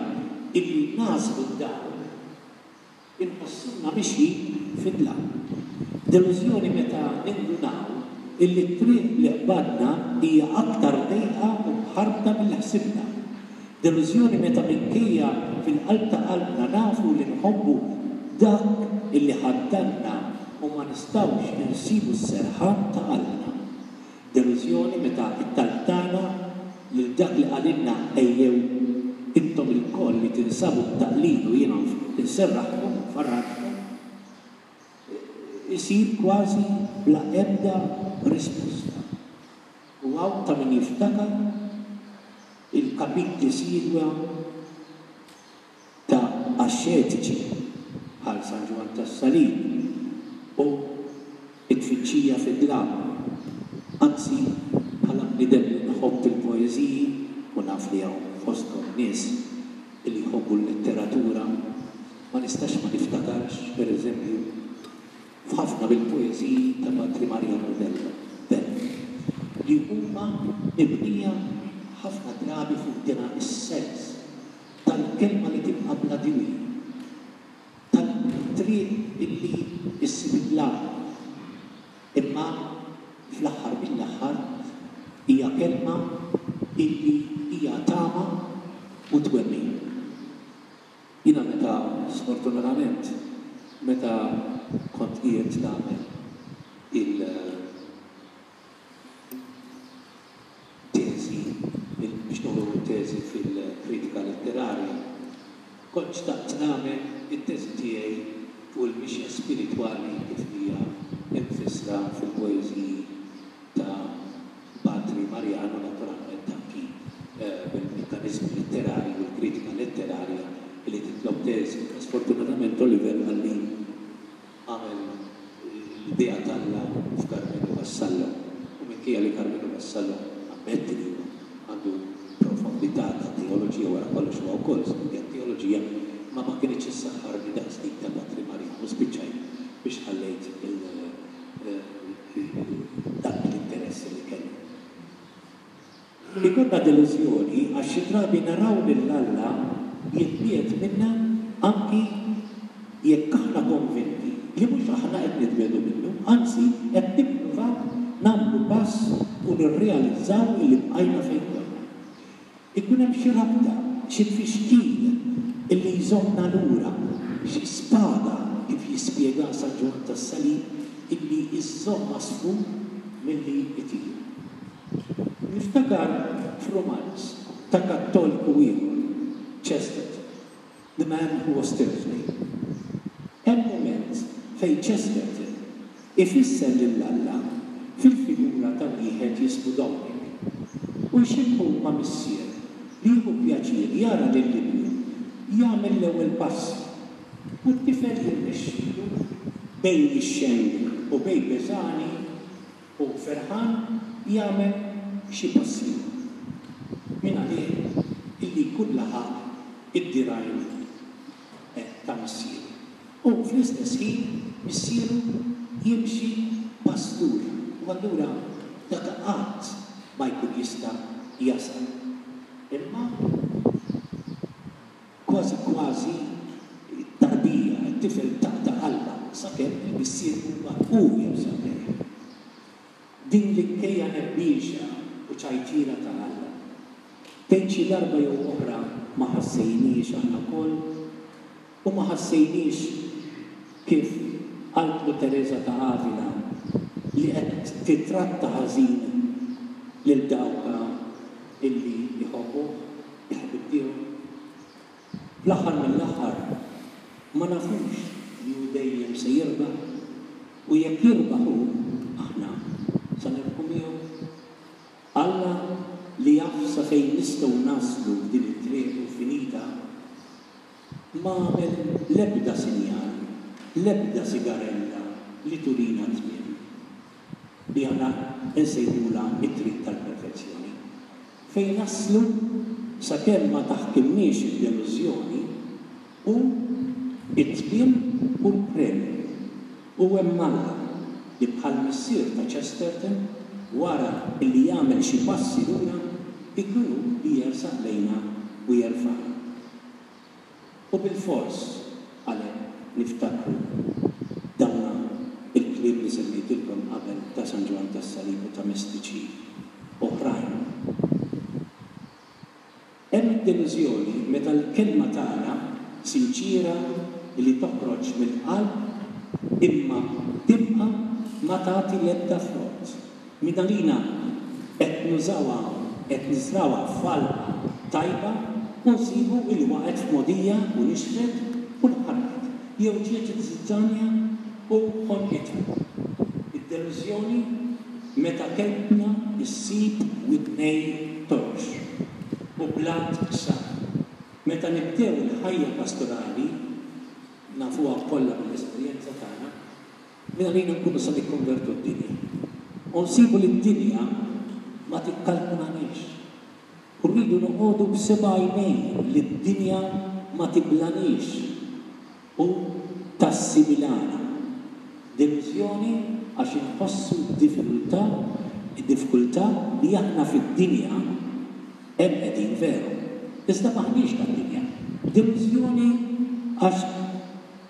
illi nagħżlu d-dawl, Inħossuna mixjin fid-dlam. Delużjoni meta nindunaw illi t-triq li qbadna hija aktar dejqa u mħarbta milli ħsibna. Delużjoni meta minkejja fil-qalb ta' qalbna nafu li nħobbu dak illi ħaddanna u ma nistgħux insibu s-serħan ta' qalbna. Delużjoni meta t-talb tagħna lil dak li qalilna ejjew intom ilkoll li tinsabu mtaqqlin u jiena nserraħkom u nfarraġkom, isir kważi bla ebda risposta. U hawn ta' min jiftakar il-kapitli siewja ta' axxetiċi bħal San Ġwann tas-Salib u t-tfittxija fid-dlam. Anzi, bħala bniedem li nħobb il-poeżiji, u naf li hawn fostkom nies li jħobbu l-letteratura, ma nistax ma niftakarx, per eżempju, f'ħafna mill-poeżiji ta' Patri Mariano Vella, Vella, li huma mibnija ħafna drabi fuq dina s-sens tal-kelma li tibqa' bla diwi, tat-triq illi ssib id-dlam, imma fl-aħħar mill-aħħar hija kelma illi hija tama u twemmin. Jiena meta, sfortunatament, meta kont qiegħed nagħmel il-, teżi, biex noħloq teżi fil-kritika letterarja. Kont xtaqt nagħmel it-teżi tiegħi fuq il-mixja spiritwali kif hija mfissra fil-poeżiji ta' Patri Mariano, naturalment anki bil-mekkaniżmi letterarji u l-kritika letterarja li titlob teżi. Sfortunatament Oliver qalli Għamel l-idea t'Alla f'Karmenu Vassallo u minkejja li Karmenu Vassallo nammetti li huwa għandu profondità ta' teoloġija wara kollox huwa wkoll studja t-teoloġija imma ma kinitx issaħħarni daqs dik ta' Patri Mariano u spiċċajt biex ħallejt dak l-interess li kelli. Ikollna delużjoni għax xi drabi naraw lil Alla jitbiegħed minna anki jekk aħna konvinti li mhux aħna qed nitbiegħdu minnu, anzi qed nippruvaw nagħmlu pass u nirrealizzaw illi bqajna fejn konna. Ikun hemm xi rabta, xi tfixkil illi jżommna lura, xi spada kif jispjega San Ġwann tas-Salib illi żżomm għasfur milli jtir. Niftakar f'rumanz ta' Kattoliku ieħor, Chesterton, The Man Who Was Thursday. Hemm mument fejn Chesterton ifisser lil Alla fil-figura ta' wieħed jismu Dominic u jxebbhu ma' missier li jieħu pjaċir jara lil ibnu jagħmel l-ewwel passi u t-tifel jirnexxilu bejn jixxeng u bejn beżgħani Hu ferħan jagħmel xi pass ieħor. Mingħalih illi jkun laħaq id-dirgħajn ta' missieru. U fl-istess ħin missieru jimxi pass lura u allura dak qatt ma jkun jista' jasal. Imma Kważi kważi t-tarbija, it-tifel taqta' qalbha sakemm il-missier imbagħad hu jersaq lejha. Din l-inkejja nebbiexa u ċajtiera ta' Alla. Tgħid xi darba jew oħra ma ħassejniex aħna wkoll? U ma ħassejniex kif qaltlu Tereża ta' Avila li qed tittratta ħażin lil dawk illi jħobbuh? Il-ħbieb tiegħu. Fl-aħħar mill-aħħar, ma nafux li hu dejjem se jirbaħ, u jekk jirbaħ hu, aħna se nirbħu miegħu. Alla li jaf sa fejn nistgħu naslu f'din it-triq infinita, ma għamel l-ebda sinjal, l-ebda sigarella li turina t-tmiem, li aħna nsejħulha t-triq tal-perfezzjoni. Fejn naslu sakemm ma taħkimniex id-delużjoni? Hu t-tmiem u l-premju. U hemm Alla, li bħall-missier ta' Chesterton, wara li jagħmel xi passi lura, ikun hu li jersaq lejna u jerfagħna. U bilfors għalhekk niftakru dawna l-kliem li semmejtilkom qabel ta' San Ġwann tas-Salib u ta' mistiċi oħrajn. Hemm id-delużjoni meta l-kelma tagħna sinċiera li toħroġ mill-qalb imma tibqa' ma tagħti l-ebda frott. Mingħalina qed nużawha, qed niżrgħuha f'għalqa tajba u nsibu li waqgħet f'mogħdija u nixfet u nħarqet jew ġiet iż-żizzanja u ħonqitha. Id-delużjoni Meta kelmtna ssib widnej torox u blat qsar. Meta nibdew il-ħajja pastorali, nafuha kollha mill-esperjenza tagħna, mingħalina nkunu se nikkonvertu d-dinja. U nsibu li d-dinja ma tikkalkulaniex. U rridu noqogħdu b'seba' għajnejn li d-dinja ma tiblaniex. u tassimilana. Delużjoni għax inħossu d-diffikultà, id-diffikultà li aħna fid-dinja hemm qegħdin veru, iżda m'aħniex tad-dinja. Delużjoni għax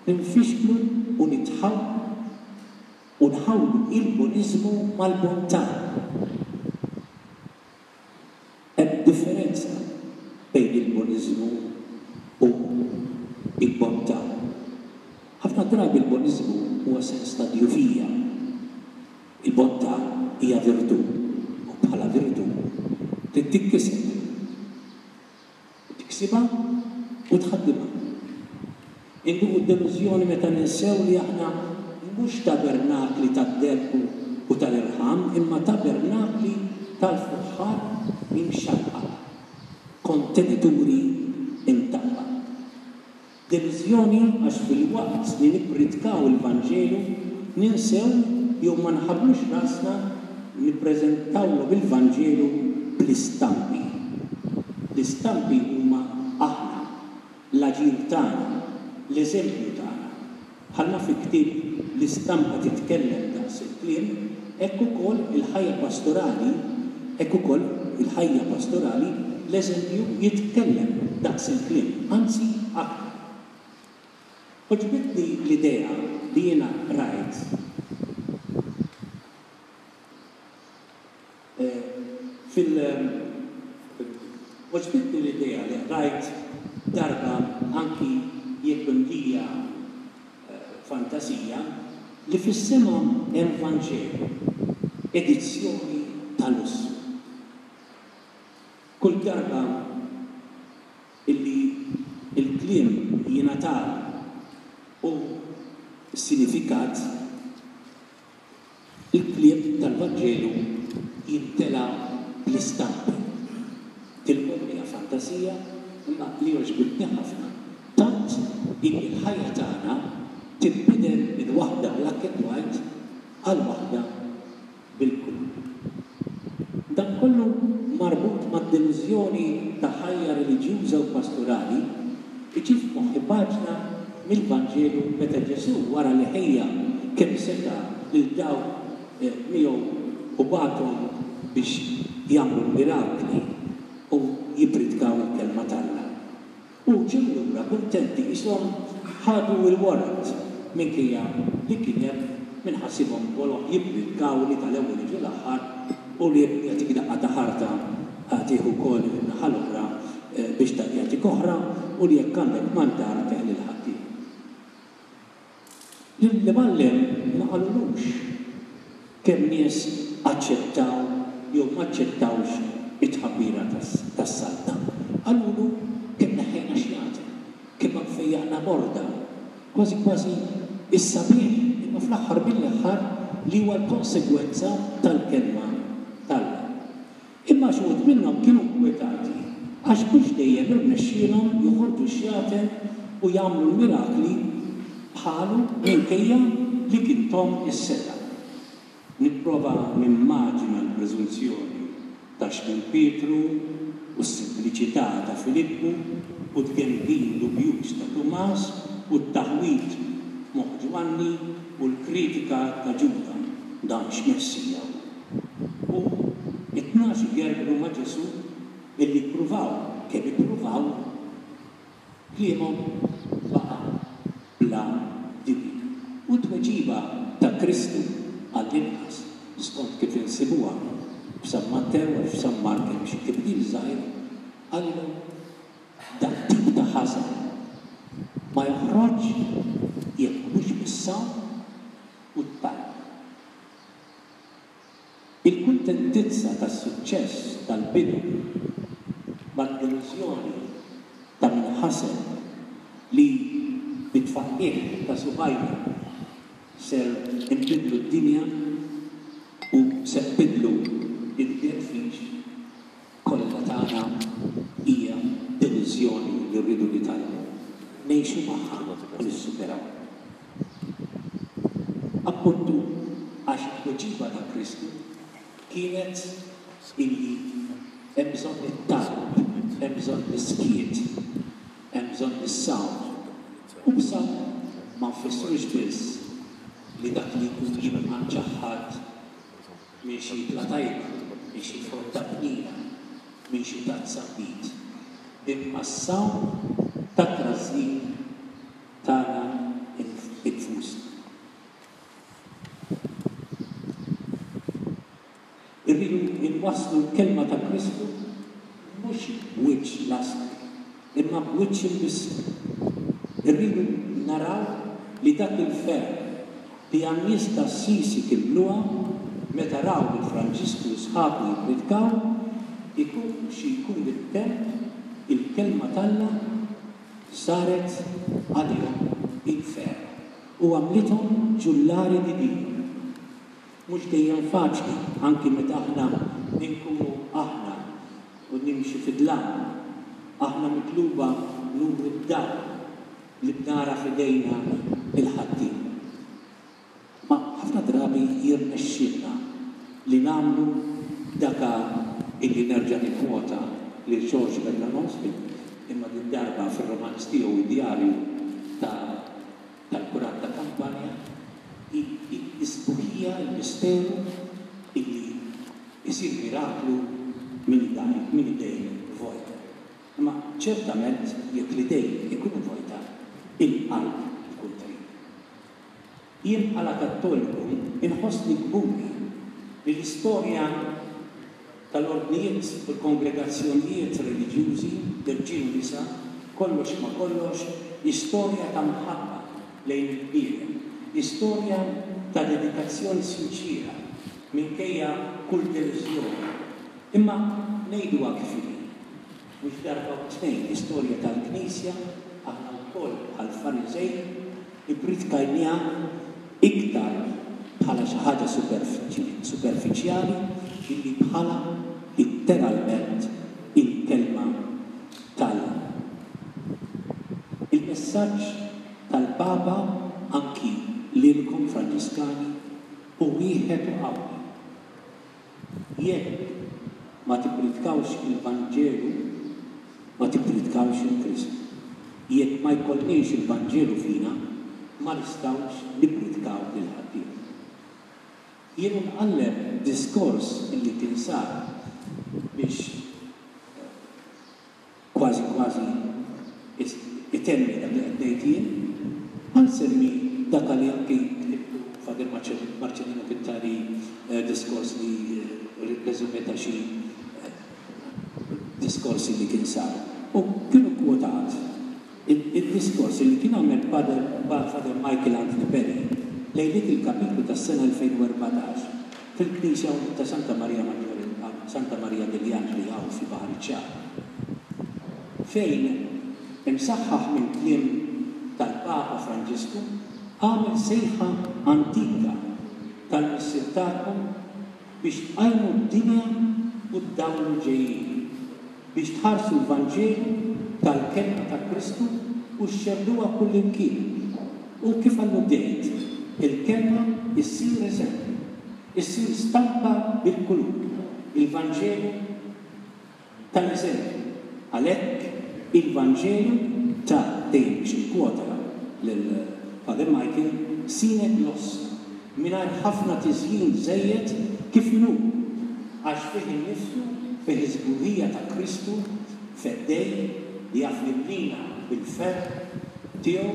ninfixklu u nitħawlu u nħawlu il-boniżmu mal-bontà. Hemm differenza bejn il-boniżmu u l-bontà. Ħafna drabi l-boniżmu huwa sens ta' djufija. Il-bontà hija virtù u bħala virtù trid tinkiseb. Tiksibha u tħaddimha. Induqu d-delużjoni meta ninsew li aħna mhux tabernakli tad-deheb u tal-irħam imma tabernakli tal-fuħħar imxaqqaq, kontenituri mtaqba. Delużjoni għax filwaqt li nippritkaw il-Vanġelu ninsew jew ma nħabblux rasna nippreżentawlhom il-Vanġelu bl-istampi. L-istampi huma aħna, l-aġir tagħna, l-eżempju tagħna. Bħalma fi ktieb l-istampa titkellem daqs il-kliem, hekk ukoll il-ħajja pastorali, hekk ukoll il-ħajja pastorali l-eżempju jitkellem daqs il-kliem, anzi aktar. Għoġbitni l-idea li jiena qrajt Fil Għoġbitni l-idea li qrajt darba anki jekk mimlija fantasija, li fis-sema hemm Vanġelu, edizzjoni ta' lussu. Kull darba illi l-kliem jingħatalu u sinifikat, Il-kliem tal-Vanġelu jimtela bl-istampi. Tilkom hija fantasija imma li għoġbitni ħafna tant illi l-ħajja tagħna tinbidel minn waħda black and white għal waħda bil-kulur. Dan kollu marbut mad-delużjoni ta' ħajja reliġjuża u pastorali iġib f'moħħi paġna mill-Vanġelu meta Ġesù wara li ħejja kemm seta' lil dawk miegħu u bagħathom biex jagħmlu l-mirakli u jippritkaw il-Kelma t'Alla. U ġew lura kuntenti qishom ħadu l-warrant minkejja li kien hemm min ħasibhom boloh jippritkaw li tal-ewwel jiġu l-aħħar u li jekk jagħtik daqqa ta' ħarta tieħu wkoll in-naħa l-oħra biex jagħtik oħra u li jekk għandek mantar tih lil ħaddieħor. Lill-imgħallem ma qalulux kemm nies aċċettaw jew m'aċċettawx it-tħabbira tas-Saltna. Qalulu kemm neħħejna xjaten, kemm fejjaqna morda, kważi kważi s-sabiħ imma fl-aħħar mill-aħħar li huwa l-konsegwenza tal-Kelma t'Alla. Imma xi wħud minnhom kienu nkwetati għax mhux dejjem irnexxielhom joħorġu x-xjaten u jagħmlu l-mirakli bħalu minkejja li kien thom is-setgħa. Nipprova nimmaġina l-preżunzjoni ta' Xmun Pietru u s-simpliċità ta' Filippu u t-tgemgim dubjuż ta' Tumas u t-taħwid f'moħħ Ġwanni u l-kritika ta' Ġuda, Dan x'Messija hu? U t-tnax igergru ma' Ġesù illi ppruvaw kemm ippruvaw, kliemhom baqa' bla dinjità. U t-tweġiba ta' Kristu, għall-inqas skont kif insibuha f'San Mattew għax f'San Mark hemm xi tibdil żgħir, qalilhom, Dat-tip ta' ħażen ma joħroġx jekk mhux bis-sawm u t-talb. Il-kuntentizza tas-suċċess tal-bidu mad-delużjoni ta' min ħaseb li bit-tfaqqigħ ta' subgħajna ser inbiddlu d-dinja u se nbiddlu d-deadfish kollha tagħna hija delużjoni li rridu nitgħallmu ngħixu magħha u nissuperawha. Appuntu għax it-tweġiba ta' Kristu kienet illi hemm bżonn it-talb, hemm bżonn is-skiet, hemm bżonn is-sawm. U b'sawm ma nfissrux biss li dak li jkun jibqa' mċaħħad minn xi ikla tajba, minn xi frotta bnina, minn xi tazza nbid, imma s-sawm tat-trażżin tagħna nfusna. Irridu nwasslu l-kelma ta' Kristu mhux b'wiċċ lastri, imma b'wiċċ imbissem. Irridu naraw li dak il-ferħ li għan-nies t'Assisi kien bluha meta raw lil Franġisku u sħabu jippritkaw, ikun xi jkun it-temp, il-Kelma t'Alla saret għalihom il-ferħ u għamlithom ġullari di Dio. Mhux dejjem faċli, anki meta aħna inkunu aħna u nimxu fid-dlam. Aħna mitluba nuru d-dawl li bnara f'idejna lil ħaddieħor. Ma ħafna drabi jirnexxielna li nagħmlu daka illi nerġa' nikkwota lil Georges Bernanos imma din darba fir-romanz tiegħu Id-Djarju ta' tal-Kurat ta' Kampanja hi s-sbuħija, il-misteru illi jsir miraklu minn minn idejn vojta. Imma ċertament jekk l-idejn ikunu vojta, il-qalb tkun trid. Jien bħala Kattoliku inħossni kburi li l-istorja tal-ordnijiet u l-kongregazzjonijiet reliġjużi, irġiel u nisa, kollox ma' kollox hi storja ta' mħabba lejn il-bniedem, hi storja ta' dedikazzjoni sinċiera minkejja kull delużjoni. Imma ngħiduha kif inhi, mhux darba u tnejn l-istorja tal-Knisja aħna wkoll bħall-Fariżej ippritkajniha iktar bħala xi ħaġa superfiċjali milli bħala litteralment il-Kelma t'Alla. Il-messaġġ tal-Papa anki lilkom Franġiskani hu wieħed u qawwi. Jekk ma tippritkawx il-Vanġelu, ma tippritkawx 'il Kristu. Jekk ma jkollniex il-Vanġelu fina, ma nistgħux nippritkaw lil ħaddieħor. Jien u nqalleb diskors illi kien sar biex kważi kważi itenni dak li qed ngħid jien, ħa nsemmi dak li anki ktibtu Father Marcellino kien tani diskors li resume ta' xi diskorsi li kien saru. U kienu kkwotat id-diskors li kien għamel Father Michael Anthony Perry lejliet il-kapitlu tas-sena 2014 fil-knisja ta' Santa Maria Maggiore, Santa Maria degli Angeli hawn fi Baħar iċ-Ċagħaq, fejn, imsaħħaħ mill-kliem tal-Papa Franġisku, għamel sejħa antika tal-Missier tagħkom biex tqajmu d-dinja u ddawlu l-ġejjieni, biex tħarsu l-Vanġelu tal-Kelma ta' Kristu u xxerrduha kullimkien. U kif alludejt, il-Kelma ssir eżempju, issir stampa bil-kulur, il-Vanġelu tal-eżempju. Għalhekk. Il-Vanġelu ta' dejjem biex nikkwota lil Father Michael, sine glossa, mingħajr ħafna tiżjin żejjed kif inhu, għax fih innifsu fih is-sbuħija ta' Kristu Feddej li jaf jimlina bil-ferħ tiegħu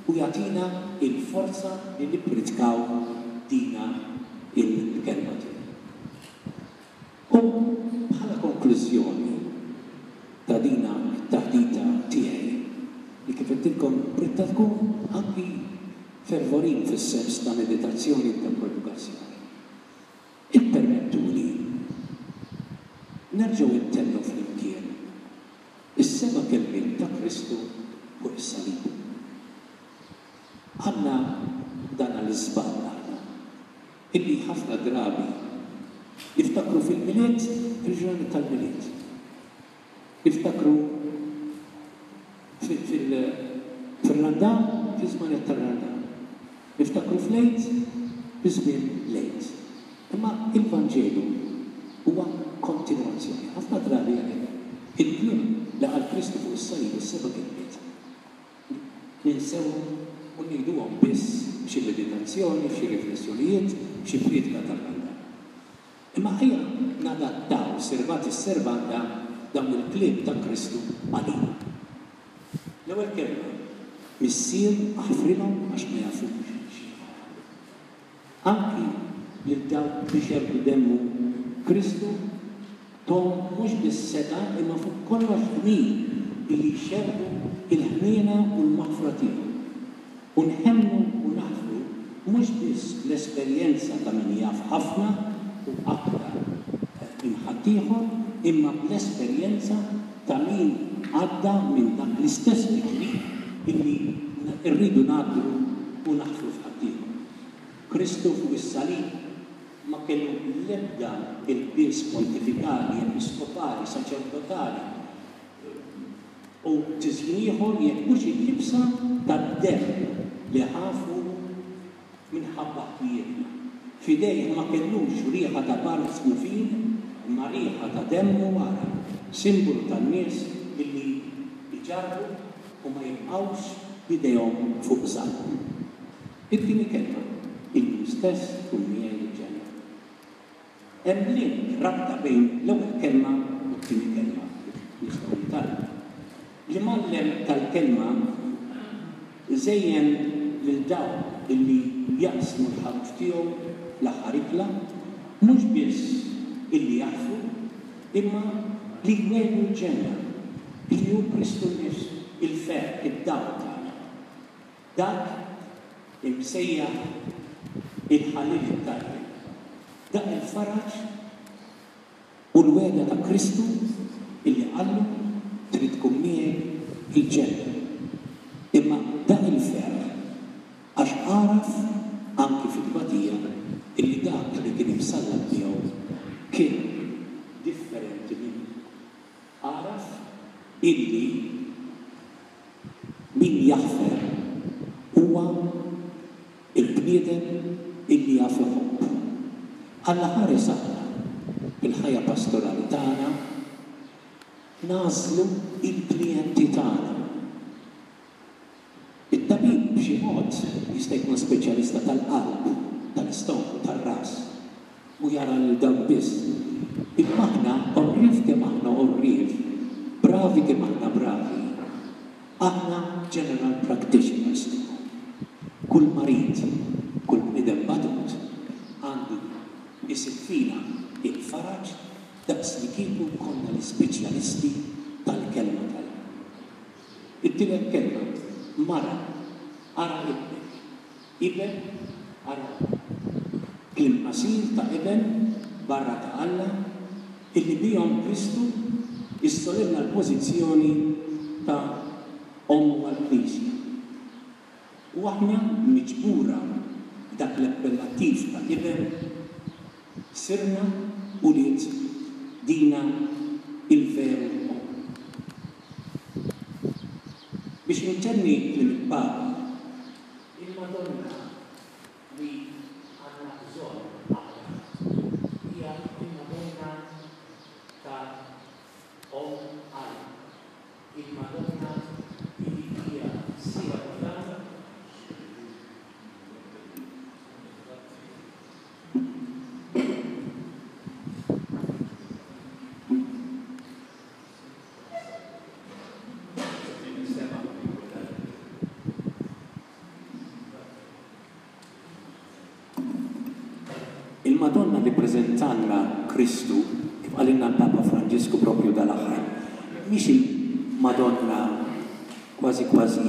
u jagħtina l-forza li nippritkaw dina l-Kelma tiegħu. U bħala konklużjoni ta' dina t-taħdita tiegħi, li kif għedtilkom ridtha tkun anki fervorin fis-sens ta' meditazzjoni u ta' produkazzjoni, ippermettuli nerġgħu ntennu flimkien is-seba' kelmiet ta' Kristu fuq is-salib. Għandna dan l-iżball aħna. Illi ħafna drabi niftakru fil-Milied fil-ġranet tal-Milied. Niftakru fil-Randan fiż-żmanet tar-Randan. Niftakru fl-Għid fi żmien l-Għid. Imma il-Vanġelu huwa kontinwazzjoni. Ħafna drabi għalhekk il-kliem li qal Kristu fuq is-salib, is-seba' kelmiet, Ninsewhom u ngħiduhom biss f'xi meditazzjoni, f'xi riflessjonijiet, f'xi prietka tal-Randan. Imma ejja nadattaw servatis servanda dawn il-kliem ta' Kristu għalina. L-ewwel kelma, Missier aħfrilhom għax ma jafux x'jagħmlu. Anki lil dawk li xerrdu demmu, Kristu tahom mhux biss setgħa imma fuq kollox dmir illi jxerrdu l-ħniena u l-maħfra tiegħu. U nħennu u naħfru mhux biss bl-esperjenza ta' min jaf ħafna u aktar minn ħaddieħor imma bl-esperjenza ta' min għadda minn dak l-istess tiġrib illi rridu ngħaddru u naħfru f'ħaddieħor. Kristu fuq is-salib ma kellu l-ebda ilbies pontifikali, episkopali, saċerdotali u tiżjin ieħor jekk mhux il-libsa tad-demm li ħa fuqu minħabba ħtijietna. F'idejh ma kellux riħa ta' balzmu fin, imma riħa ta' demm u għaraq, simbolu tan-nies illi jġarrbu u ma jibqgħux b'idejhom fuq żaqqhom. It-tieni kelma, Illum stess tkun miegħi l-ġenna. Hemm link, rabta bejn l-ewwel kelma u t-tieni kelma kif nistgħu nitgħallmu. L-imgħallem tal-kelma żejjen lil dawk illi jaqsmu l-ħaruf tiegħu fl-aħħar ikla, mhux biss illi jaħfru, imma li jwiegħdu l-ġenna, illi hu Kristu nnifsu, il-ferħ, id-dawl tagħna. Dak imsejjaħ il-ħalliel it-tajjeb, dak il-faraġ u l-wegħda ta' Kristu illi qallu trid tkun miegħi il-ġenna. Imma dak il-ferħ għax għaraf anki fit-tbatija illi dak li kien imsallab miegħu kien differenti minnu. Għaraf illi Min jaħfer huwa l-bniedem illi jaf iħobb. Alla ħares aħna, fil-ħajja pastorali tagħna, nagħżlu l-klijenti tagħna. It-tabib b'xi mod jista' jkun speċjalista tal-qalb, tal-istonku, tar-ras u jara lil dawk biss. Imma aħna, għorrief kemm aħna għorrief, bravi kemm aħna bravi, aħna general practitioners tagħhom. Kull marid, kull bniedem batut għandu jsib fina l-faraġ daqslikieku konna l-ispeċjalisti tal-Kelma t'Alla. It-tielet kelma, mara, ara ibnek. Iben, ara ommok. Kliem qasir ta' iben barra ta' Alla illi bihom Kristu issolenna l-pożizzjoni ta' ommu għall-Knisja. U aħna, miġbura b'dak l-appellattiv ta' iben, sirna ulied dina il-veru omm. Biex intenni kliem il-Papa, Il-Madonna li għandna bżonn aħna hija l-Madonna ta' Omm Alla, il-. Il-Madonna li hija sieħba tagħna. Il-Madonna li ppreżentalna Kristu, kif qalilna l-Papa Franġisku proprju dal-aħħar, mhix il-Madonna kważi kważi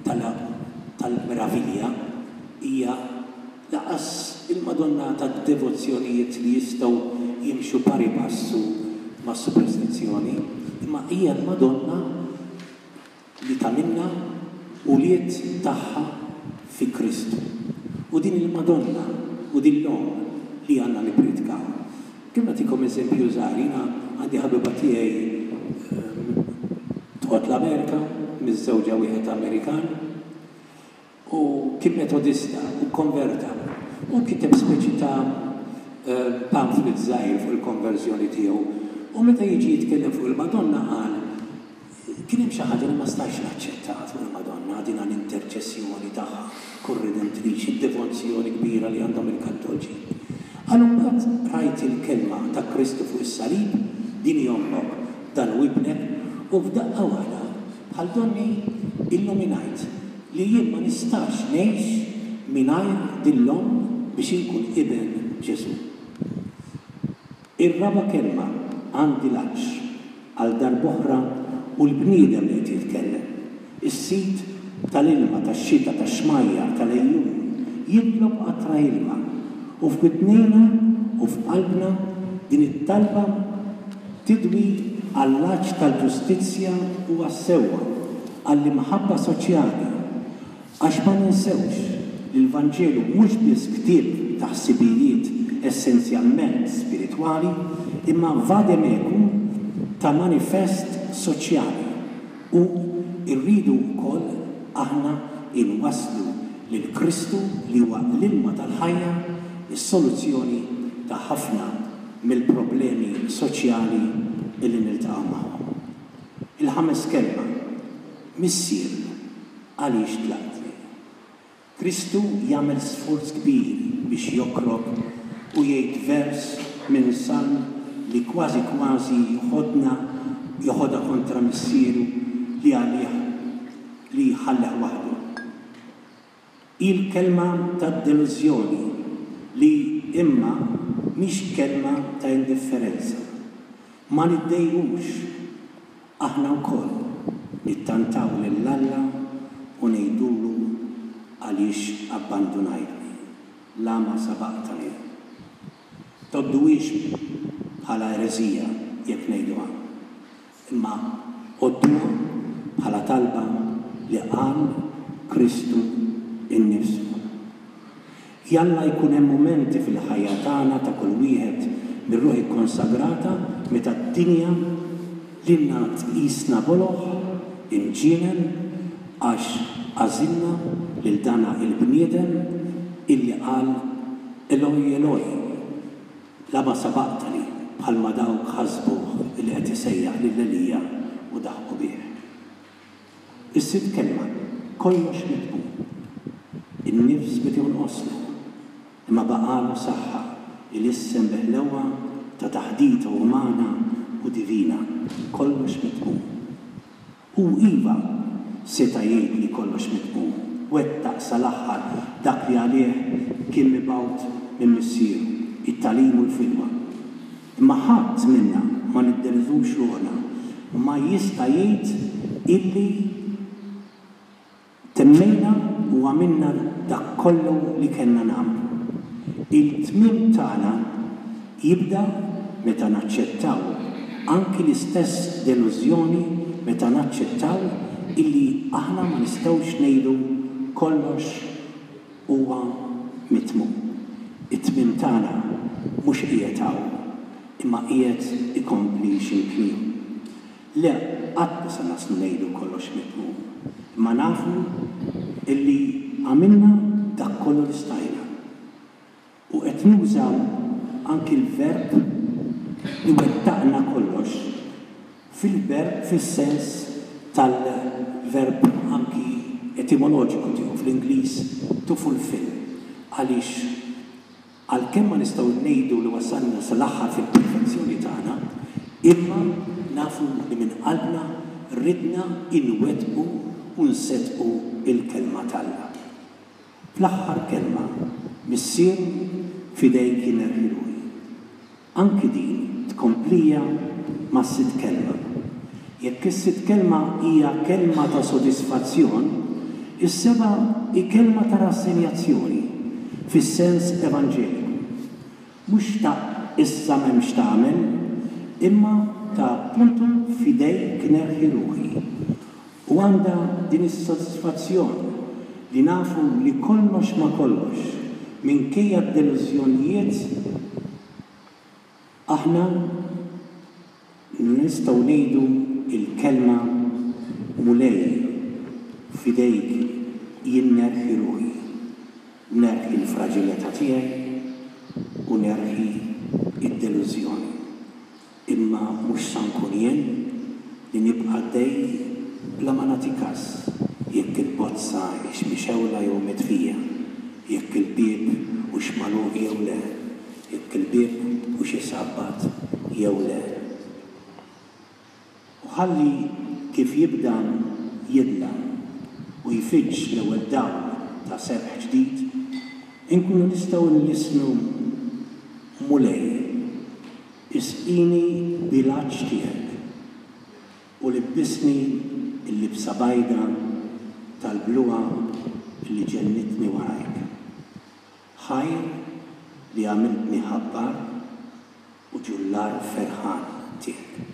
tal-meravilja, hija lanqas il-Madonna tad-devozzjonijiet li jistgħu jimxu pari passu mas-superstizzjoni, imma hija l-Madonna li tagħmilna ulied tagħha fi Kristu. U din il-Madonna u din l-Omm li għandna nipprietkaw. Kemm nagħtikom eżempju żgħir, jiena għandi ħabiba tiegħi toqgħod l-Amerika, miżżewġa wieħed Amerikan, u kien Metodista u kkonverta u kiteb speċi ta' pamphlet żgħir fuq il-konverżjoni tiegħu u meta jiġi jitkellem fuq il-Madonna qal kien hemm xi ħaġa li ma stajtx naċċettaha fuq il-Madonna, din l-interċessjoni tagħha korredentriċi, id-devozzjoni kbira li għandhom il-Kattolċi. Qal imbagħad rajt il-kelma ta' Kristu fuq is-salib, din hi ommok, dan hu ibnek, u f'daqqa waħda bħal donni illuminajt li jien ma nistax ngħix mingħajr din l-omm biex inkun iben Ġesù. Ir-raba' kelma, għandi l-għatx. Għal darb'oħra hu l-bniedem li qed jitkellem. Is-Sid tal-ilma, tax-xita, tax-xmajjar, tal-għejun, jitlob qatra ilma. U f'widnejna u f'qalbna din it-talba tidwi għall-għatx tal-ġustizzja u għas-sewwa, għall-imħabba soċjali. Għax ma ninsewx li l-Vanġelu mhux biss ktieb ta' ħsibijiet essenzjalment spiritwali, imma vademecum ta' manifest soċjali u rridu wkoll aħna inwasslu lil Kristu li huwa l-ilma tal-ħajja, is-soluzzjoni ta' ħafna mill-problemi soċjali li niltaqgħu magħhom. Il-ħames kelma, Missier, għaliex tlaqtni? Kristu jagħmel sforz kbir biex jokrob u jgħid vers minn salm li kważi kważi joħodna joħodha kontra Missieru li għalih li ħalleh waħdu. Hi l-kelma tad-delużjoni li imma mhix kelma ta' indifferenza. Ma niddejqux aħna wkoll nittantaw lil Alla u ngħidulu għaliex abbandunajtni, lama sabaqtani. Tgħodduhiex bħala ereżija jekk ngħiduha, imma għodduha bħala talba li qal Kristu nnifsu. Jalla jkun hemm mumenti fil-ħajja tagħna ta' kull wieħed mir-ruħ ikkonsagrata meta d-dinja lilna tqisna boloh, imġienen, għax għażilna lil dana il-bniedem illi qal Eloi, Eloi, lama sabaqtani bħalma dawk ħasbuh illi qed isejjaħ lil Elija u daħqu bih. Is-sitt kelma, kollox mitmum. In-nifs beda jonqoslu, imma baqagħlu saħħa ilissen bi ħlewwa ta' taħdita umana u divina, kollox mitmum. Hu iva seta' jgħid li kollox mitmum, wettaq sal-aħħar dak li għalih kien mibgħut minn Missieru, it-tagħlim u l-fidwa. Imma ħadd minna, ma niddeludux ruħna, ma jista' jgħid illi temmejna u għamilna dak kollu li kellna nagħmlu. Il-tmiem tagħna jibda meta naċċettaw anki l-istess delużjoni meta naċċettaw illi aħna ma nistgħux ngħidu kollox huwa mitmum. It-tmiem tagħna mhux qiegħed hawn, imma qiegħed ikompli xi mkien ieħor. Le, qatt ma se naslu ngħidu kollox mitmum, imma nafu illi għamilna dak kollu li stajna. U qed nuża anki l-verb li wettaqna kollox fil-verb fis-sens. Tal-verb anki etimoloġiku tiegħu fl-Ingliż to fulfill għaliex għalkemm ma nistgħu ngħidu li wasalna sal-aħħar fil-perfezzjoni tagħna, imma nafu li minn qalbna ridna inwettqu u nseddqu l-Kelma t'Alla. Fl-aħħar kelma, Missier, f'idejk jien nerħi ruħi. Anki din tkomplija mas-sitt kelma. Jekk is-sitt kelma hija kelma ta' sodisfazzjon, is-seba' hi kelma ta' rassenjazzjoni, fis-sens evanġeliku. Mhux ta' issa m'hemm x'tagħmel, imma ta' appuntu f'idejk nerħi ruħi. U għandha din is-sodisfazzjon li nafu li kollox ma' kollox, minkejja d-delużjonijiet, aħna nistgħu ngħidu l-kelma Mulej, f'idejk jien nerħi ruħi, nerħi l-fraġilità tiegħi u nerħi d-delużjoni. Imma mhux sa nkun jien li nibqa' għaddej bla ma nagħti kas jekk il bozza hix mixgħula jew mitfija, jekk il-bieb hux magħluq jew le, jekk il-bieb hux isabbat jew le. U ħalli kif jibda jidlam u jfiġġ l-ewwel dawl ta' sebħ ġdid, inkunu nistgħu nlissnu, Mulej, isqini bil-għatx tiegħek u libbisni l-libsa bajda tal-bluha li ġennitni warajk. Ħajr li għamiltni ħabbar u ġullar ferħan tiegħek.